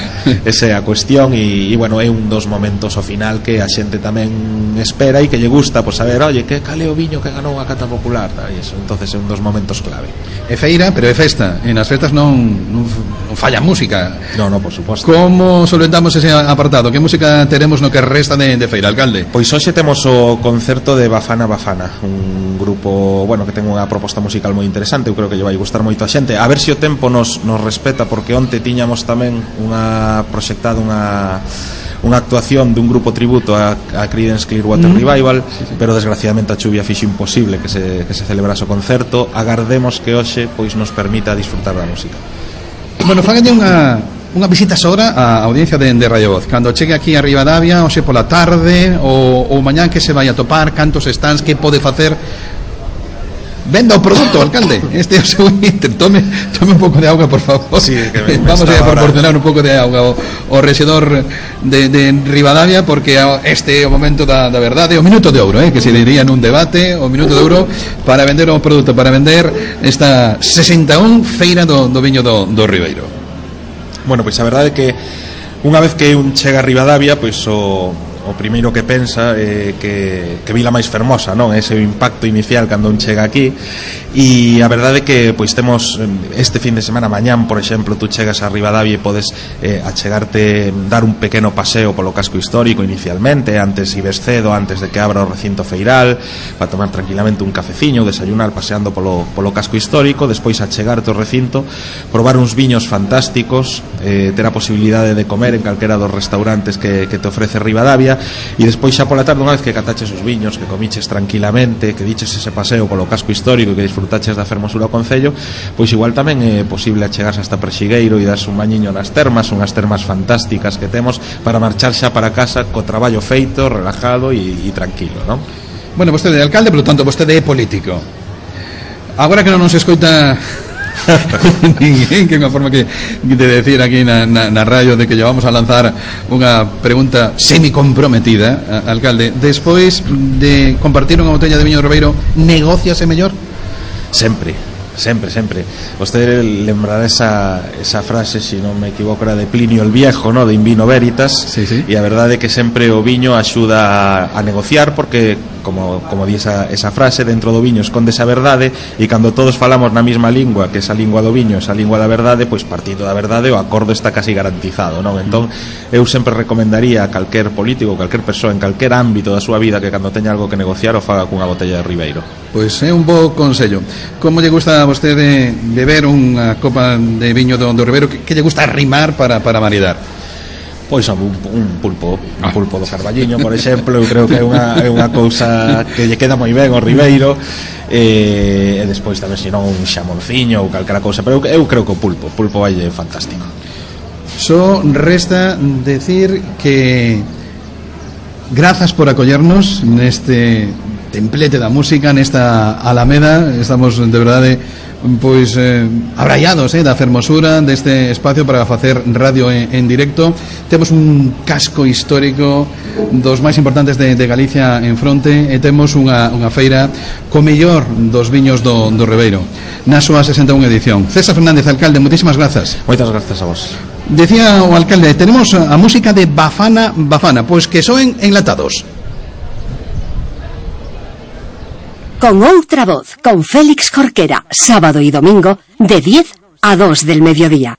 esa é a cuestión, e, e bueno, é un dos momentos ao final que a xente tamén espera e que lle gusta, pois saber, oye, que cale o viño que ganou a Cata Popular, e eso, entonces é un dos momentos clave. É feira, pero é festa, e nas festas non, non, non falla música. No, no, por suposto. Como solventamos ese apartado? Que música teremos no que resta de, de feira, alcalde? Pois hoxe temos o concerto de Bafana Bafana, un grupo, bueno, que ten unha proposta musical moi interesante, eu creo que lle vai gustar moito a xente. A ver se o tempo nos, nos respeta, porque onte tiñamos tamén unha proxectada unha unha actuación dun grupo tributo a, a Creedence Clearwater mm. Revival, sí, sí. Pero desgraciadamente a chuvia fixo imposible que se, que se celebrase o concerto. Agardemos que hoxe pois nos permita disfrutar da música. Bueno, fágalle unha unha visita sobra á audiencia de, de Radio Voz. Cando chegue aquí a Ribadavia, hoxe pola tarde ou, ou mañán, que se vai a topar, cantos stands, que pode facer. Venda o produto, alcalde. Este é o seu inter. Tome, tome un pouco de auga, por favor. Sí, que me, me vamos a proporcionar ahora un pouco de auga ao, ao rexedor de, de Ribadavia, porque este é o momento da, da verdade, o minuto de ouro, eh, que se diría nun debate, o minuto de ouro para vender o produto, para vender esta sesenta e un feira do, do viño do, do Ribeiro. Bueno, pois a verdade é que unha vez que un chega a Ribadavia, pois o o primeiro que pensa é que, que Vila máis fermosa, non? Ese o impacto inicial cando un chega aquí, e a verdade é que pois temos este fin de semana, mañán, por exemplo, tú chegas a Ribadavia e podes eh, achegarte, dar un pequeno paseo polo casco histórico inicialmente, antes ibes cedo, antes de que abra o recinto feiral, para tomar tranquilamente un cafeciño, desayunar paseando polo, polo casco histórico, despois achegarte ao recinto, probar uns viños fantásticos, eh, ter a posibilidade de comer en calquera dos restaurantes que, que te ofrece Ribadavia, e despois xa pola tarde, unha vez que cataches os viños, que comiches tranquilamente, que diches ese paseo polo casco histórico e que disfrutaches da fermosura ao concello, pois igual tamén é posible achegarse hasta Prexigueiro e darse un bañiño nas termas, unhas termas fantásticas que temos para marchar xa para casa co traballo feito, relajado e, e tranquilo, non? Bueno, vostede é alcalde, por lo tanto vostede é político. Agora que non nos escoita ninguén, que é unha forma que de decir aquí na, na, na radio de que llevamos a lanzar unha pregunta semi-comprometida, alcalde. Despois de compartir unha botella de viño Ribeiro, negóciase mellor? Sempre, sempre, sempre. Vostede lembrará esa, esa frase, se si non me equivoco, era de Plinio el Viejo, ¿no? De in vino veritas. Sí, sí. E a verdade é que sempre o viño axuda a, a negociar, porque como, como di esa, esa frase, dentro do viño esconde esa verdade, e cando todos falamos na mesma lingua, que esa lingua do viño, esa lingua da verdade, pois partindo da verdade o acordo está casi garantizado, non? Entón eu sempre recomendaría a calquer político, calquer persoa en calquer ámbito da súa vida, que cando teña algo que negociar o faga cunha botella de Ribeiro. Pois é un bo consello. Como lle gusta a vostede beber unha copa de viño do, do Ribeiro? Que, que lle gusta arrimar para, para maridar? Pois un, un pulpo, un pulpo do Carballiño, por exemplo. Eu creo que é unha, é unha cousa que lle queda moi ben ao Ribeiro, e, e despois tamén, se non, un xamonciño ou calquera cousa, pero eu, eu creo que o pulpo, o pulpo vai fantástico. Só resta decir que grazas por acollernos neste templete da música, nesta Alameda. Estamos de verdade pois eh, abraiados eh, da fermosura deste espacio para facer radio en, en directo. Temos un casco histórico dos máis importantes de, de Galicia en fronte, e temos unha, unha feira co mellor dos viños do, do Ribeiro na súa sesenta e unha edición. César Fernández, alcalde, moitísimas grazas. Moitas grazas a vos. Decía o alcalde, tenemos a música de Bafana Bafana, pois que soen enlatados. Con outra voz, con Félix Jorquera, sábado y domingo, de diez a dos del mediodía.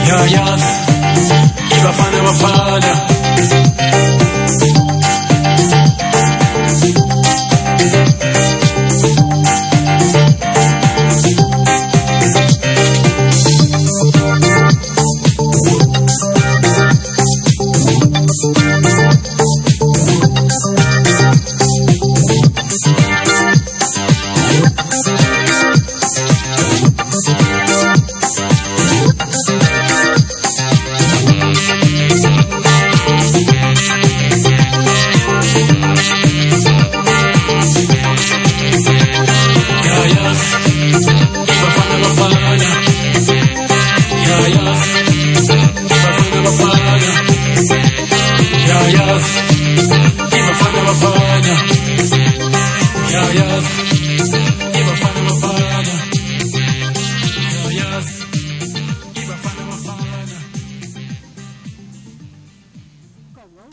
Ja, ja, i Bafana Bafana.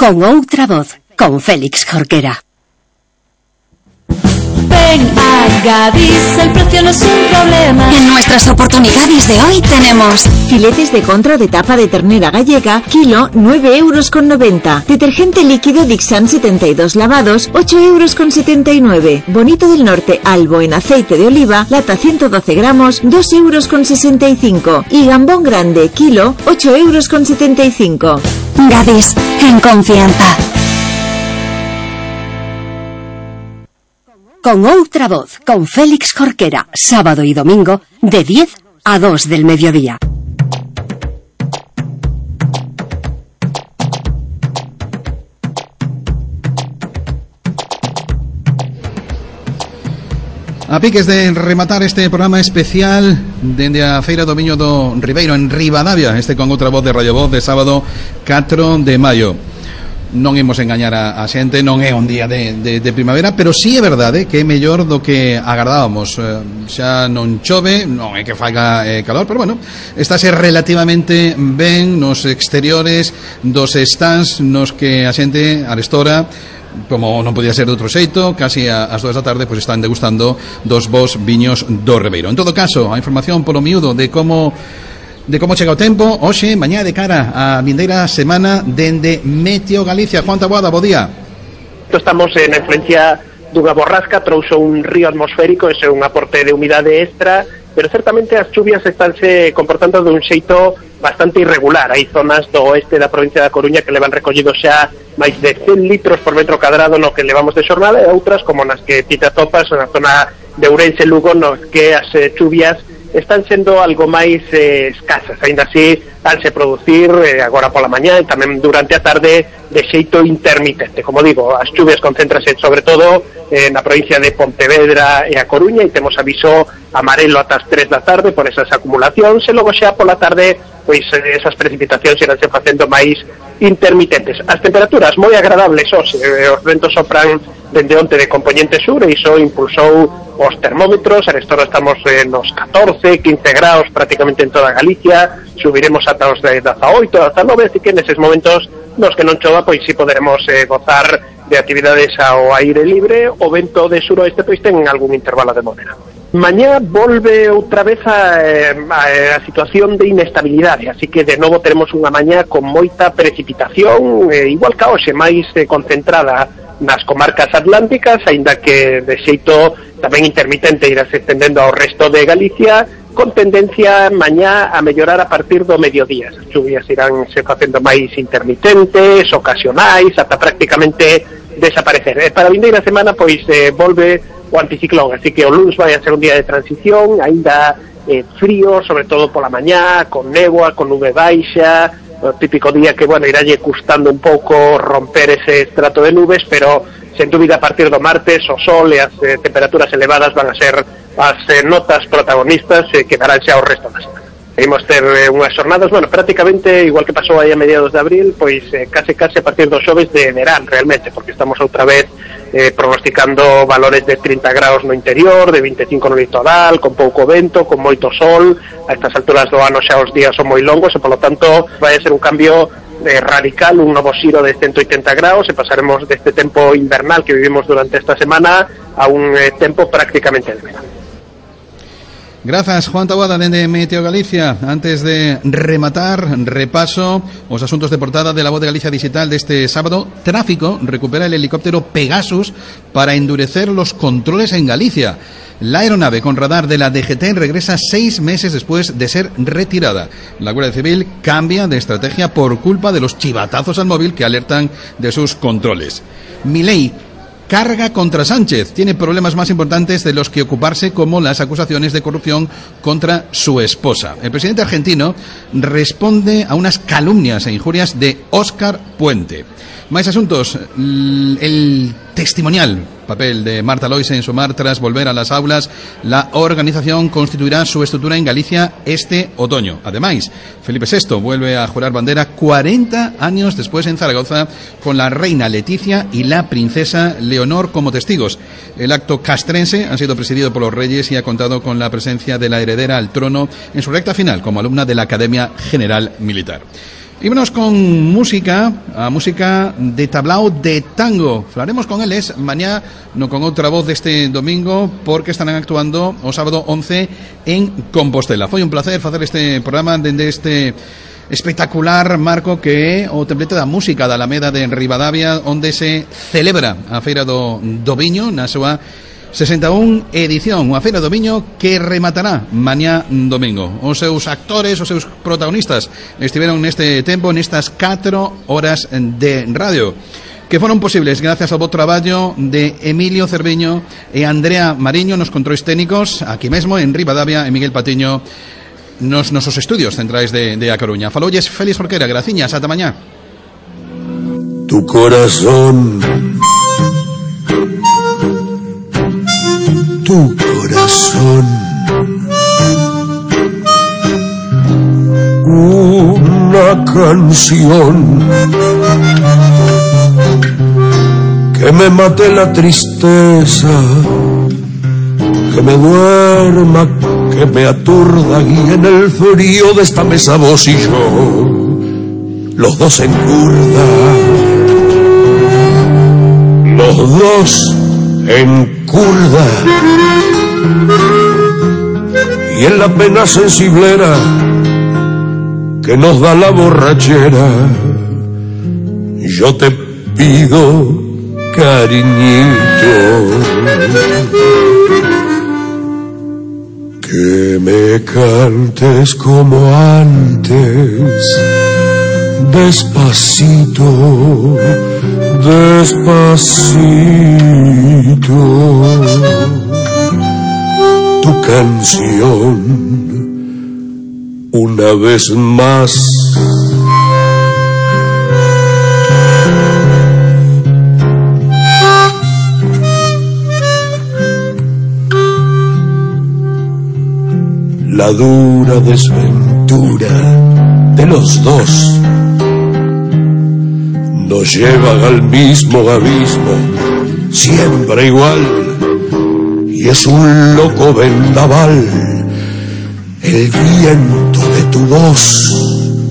Con outra voz, con Félix Jorquera. Ven a Gadis, el precio no es un problema. En nuestras oportunidades de hoy tenemos filetes de contra de tapa de ternera gallega, kilo nueve euros con noventa. Detergente líquido Dixan setenta y dos lavados, ocho euros con setenta y nueve. Bonito del Norte Albo en aceite de oliva, lata ciento doce gramos, dos euros con sesenta y cinco. Y gambón grande, kilo, ocho euros con setenta y cinco. Gadis, en confianza. Con outra voz, con Félix Jorquera, sábado y domingo, de diez a dos del mediodía. A piques de rematar este programa especial dende a Feira do Viño do Ribeiro en Ribadavia, este con outra voz de Radio Voz de sábado catro de maio. Non imos engañar a, a xente, non é un día de, de, de primavera, pero sí é verdade que é mellor do que agardábamos. Eh, xa non chove, non é que faiga eh, calor, pero bueno, estáse relativamente ben nos exteriores dos stands nos que a xente arestora, como non podía ser de outro xeito, casi ás dúas da tarde, pois están degustando dos bons viños do Ribeiro. En todo caso, a información polo miúdo de como de como chega o tempo hoxe, mañá de cara a vindeira semana dende Meteo Galicia. Juan Taboada, bo día. Estamos na influencia dunha borrasca, trouxo un río atmosférico, ese é un aporte de humidade extra, pero certamente as chuvias estánse comportando dun xeito bastante irregular. Hai zonas do oeste da provincia da Coruña que levan recollido xa máis de cen litros por metro cadrado no que levamos de xornada, e outras como nas que ti te atopas na zona de Ourense, Lugo, no que as eh, chuvias están sendo algo máis eh, escasas. Ainda así, vanse producir eh, agora pola mañá e tamén durante a tarde de xeito intermitente. Como digo, as chuvias concéntrase sobre todo eh, na provincia de Pontevedra e a Coruña, e temos aviso amarelo ata as tres da tarde por esas acumulacións, e logo xa pola tarde pois eh, esas precipitacións iránse facendo máis intermitentes. As temperaturas moi agradables hoxe, eh, os ventos sopran dende onte de componente sur, e iso impulsou os termómetros. Arestora estamos eh, nos catorce, quince graus prácticamente en toda Galicia, subiremos ata os de dezaoito, ata nove, así que neses momentos nos que non chova, pois si poderemos eh, gozar de actividades ao aire libre. O vento de suroeste pois ten algún intervalo de modera. Mañá volve outra vez a, a, a situación de inestabilidade, así que de novo teremos unha mañá con moita precipitación, eh, igual que hoxe, máis eh, concentrada nas comarcas atlánticas, aínda que de xeito tamén intermitente irás estendendo ao resto de Galicia, con tendencia mañá a mellorar a partir do mediodía. As chuvias irán se facendo máis intermitentes, ocasionais, ata prácticamente desaparecer. E para a vindeira semana, pois, eh, volve o anticiclón, así que o luns vai a ser un día de transición, aínda eh, frío, sobre todo pola mañá, con néboa, con nube baixa, o típico día que, bueno, irálle custando un pouco romper ese estrato de nubes, pero, sen dúbida, a partir do martes, o sol e as eh, temperaturas elevadas van a ser as eh, notas protagonistas eh, que darán xa o resto da semana. Imos ter eh, unhas jornadas, bueno, prácticamente igual que pasou aí a mediados de abril, pois eh, case case a partir dos xoves de verán, realmente, porque estamos outra vez eh, prognosticando valores de trinta graus no interior, de vinte e cinco no litoral, con pouco vento, con moito sol. A estas alturas do ano xa os días son moi longos, e polo tanto vai a ser un cambio eh, radical, un novo xiro de ciento oitenta graus, e pasaremos deste tempo invernal que vivimos durante esta semana a un eh, tempo prácticamente de verán. Grazas, Juan Taboada, dende Meteo Galicia. Antes de rematar, repaso os asuntos de portada de La Voz de Galicia Digital deste sábado. Tráfico recupera el helicóptero Pegasus para endurecer los controles en Galicia. La aeronave con radar de la D G T regresa seis meses después de ser retirada. La Guardia Civil cambia de estrategia por culpa de los chivatazos al móvil que alertan de sus controles. Milei carga contra Sánchez. Tiene problemas más importantes de los que ocuparse, como las acusaciones de corrupción contra su esposa. El presidente argentino responde a unas calumnias e injurias de Óscar Puente. Más asuntos. El testimonial papel de Marta Lois en Sumar tras volver a las aulas. La organización constituirá su estructura en Galicia este otoño. Además, Felipe sexto vuelve a jurar bandera cuarenta años después en Zaragoza, con la reina Leticia y la princesa Leonor como testigos. El acto castrense ha sido presidido por los reyes y ha contado con la presencia de la heredera al trono en su recta final como alumna de la Academia General Militar. Y vámonos con música, a música de tablao de tango. Falaremos con eles mañá, no con outra voz deste domingo, porque estarán actuando o sábado once en Compostela. Foi un placer facer este programa dende este espectacular marco que é o templete da música da Alameda de Ribadavia, onde se celebra a Feira do, do Viño na súa sesenta e un edición, unha feira do viño que rematará mañá domingo. Os seus actores, os seus protagonistas estiveron neste tempo, nestas catro horas de radio, que foron posibles gracias ao bo traballo de Emilio Cerviño e Andrea Mariño nos controis técnicos, aquí mesmo en Ribadavia, e Miguel Patiño nos nosos estudios centrais de, de A Coruña. Faloulles Félix Jorquera, graciñas, ata mañá. Tu corazón, tu corazón, una canción que me mate la tristeza, que me duerma, que me aturda, y en el frío de esta mesa vos y yo, los dos en curda, los dos en curda, y en la pena sensiblera que nos da la borrachera, yo te pido, cariñito, que me cantes como antes, despacito, despacito, tu canción una vez más. La dura desventura de los dos nos lleva al mismo abismo, siempre igual, y es un loco vendaval, el viento de tu voz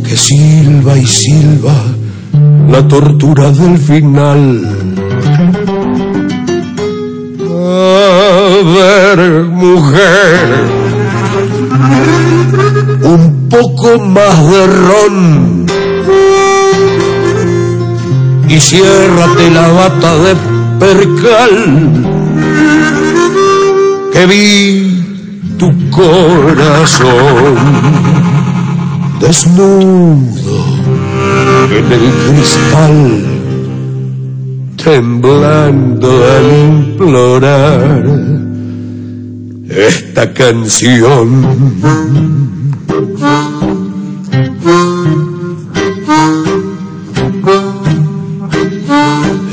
que silba y silba la tortura del final. A ver, mujer, un poco más de ron y ciérrate la bata de percal, que vi tu corazón desnudo en el cristal, temblando al implorar esta canción.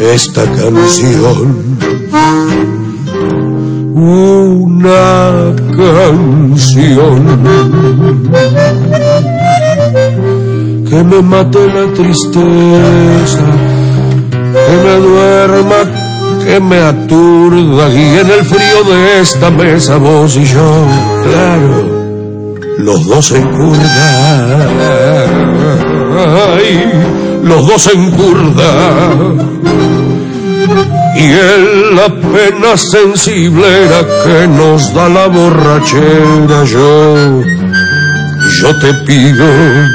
Esta canción, una canción que me mate la tristeza, que me duerma, que me aturda, y en el frío de esta mesa vos y yo, claro, los dos en curda, ay, los dos en curda, y en la pena sensiblera que nos da la borrachera. Yo, yo te pido,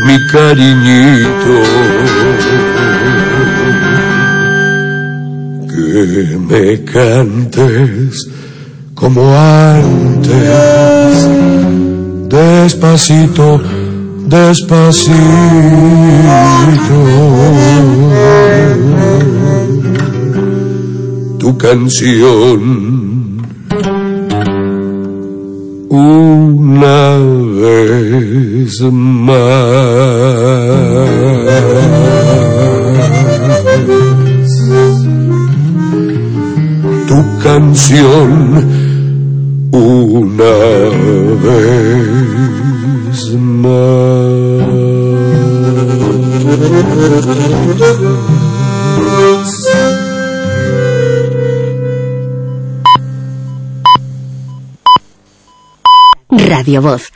mi cariñito, que me cantes como antes, despacito, despacito. Tu canción una vez más. Tu canción una vez más. Radio Voz,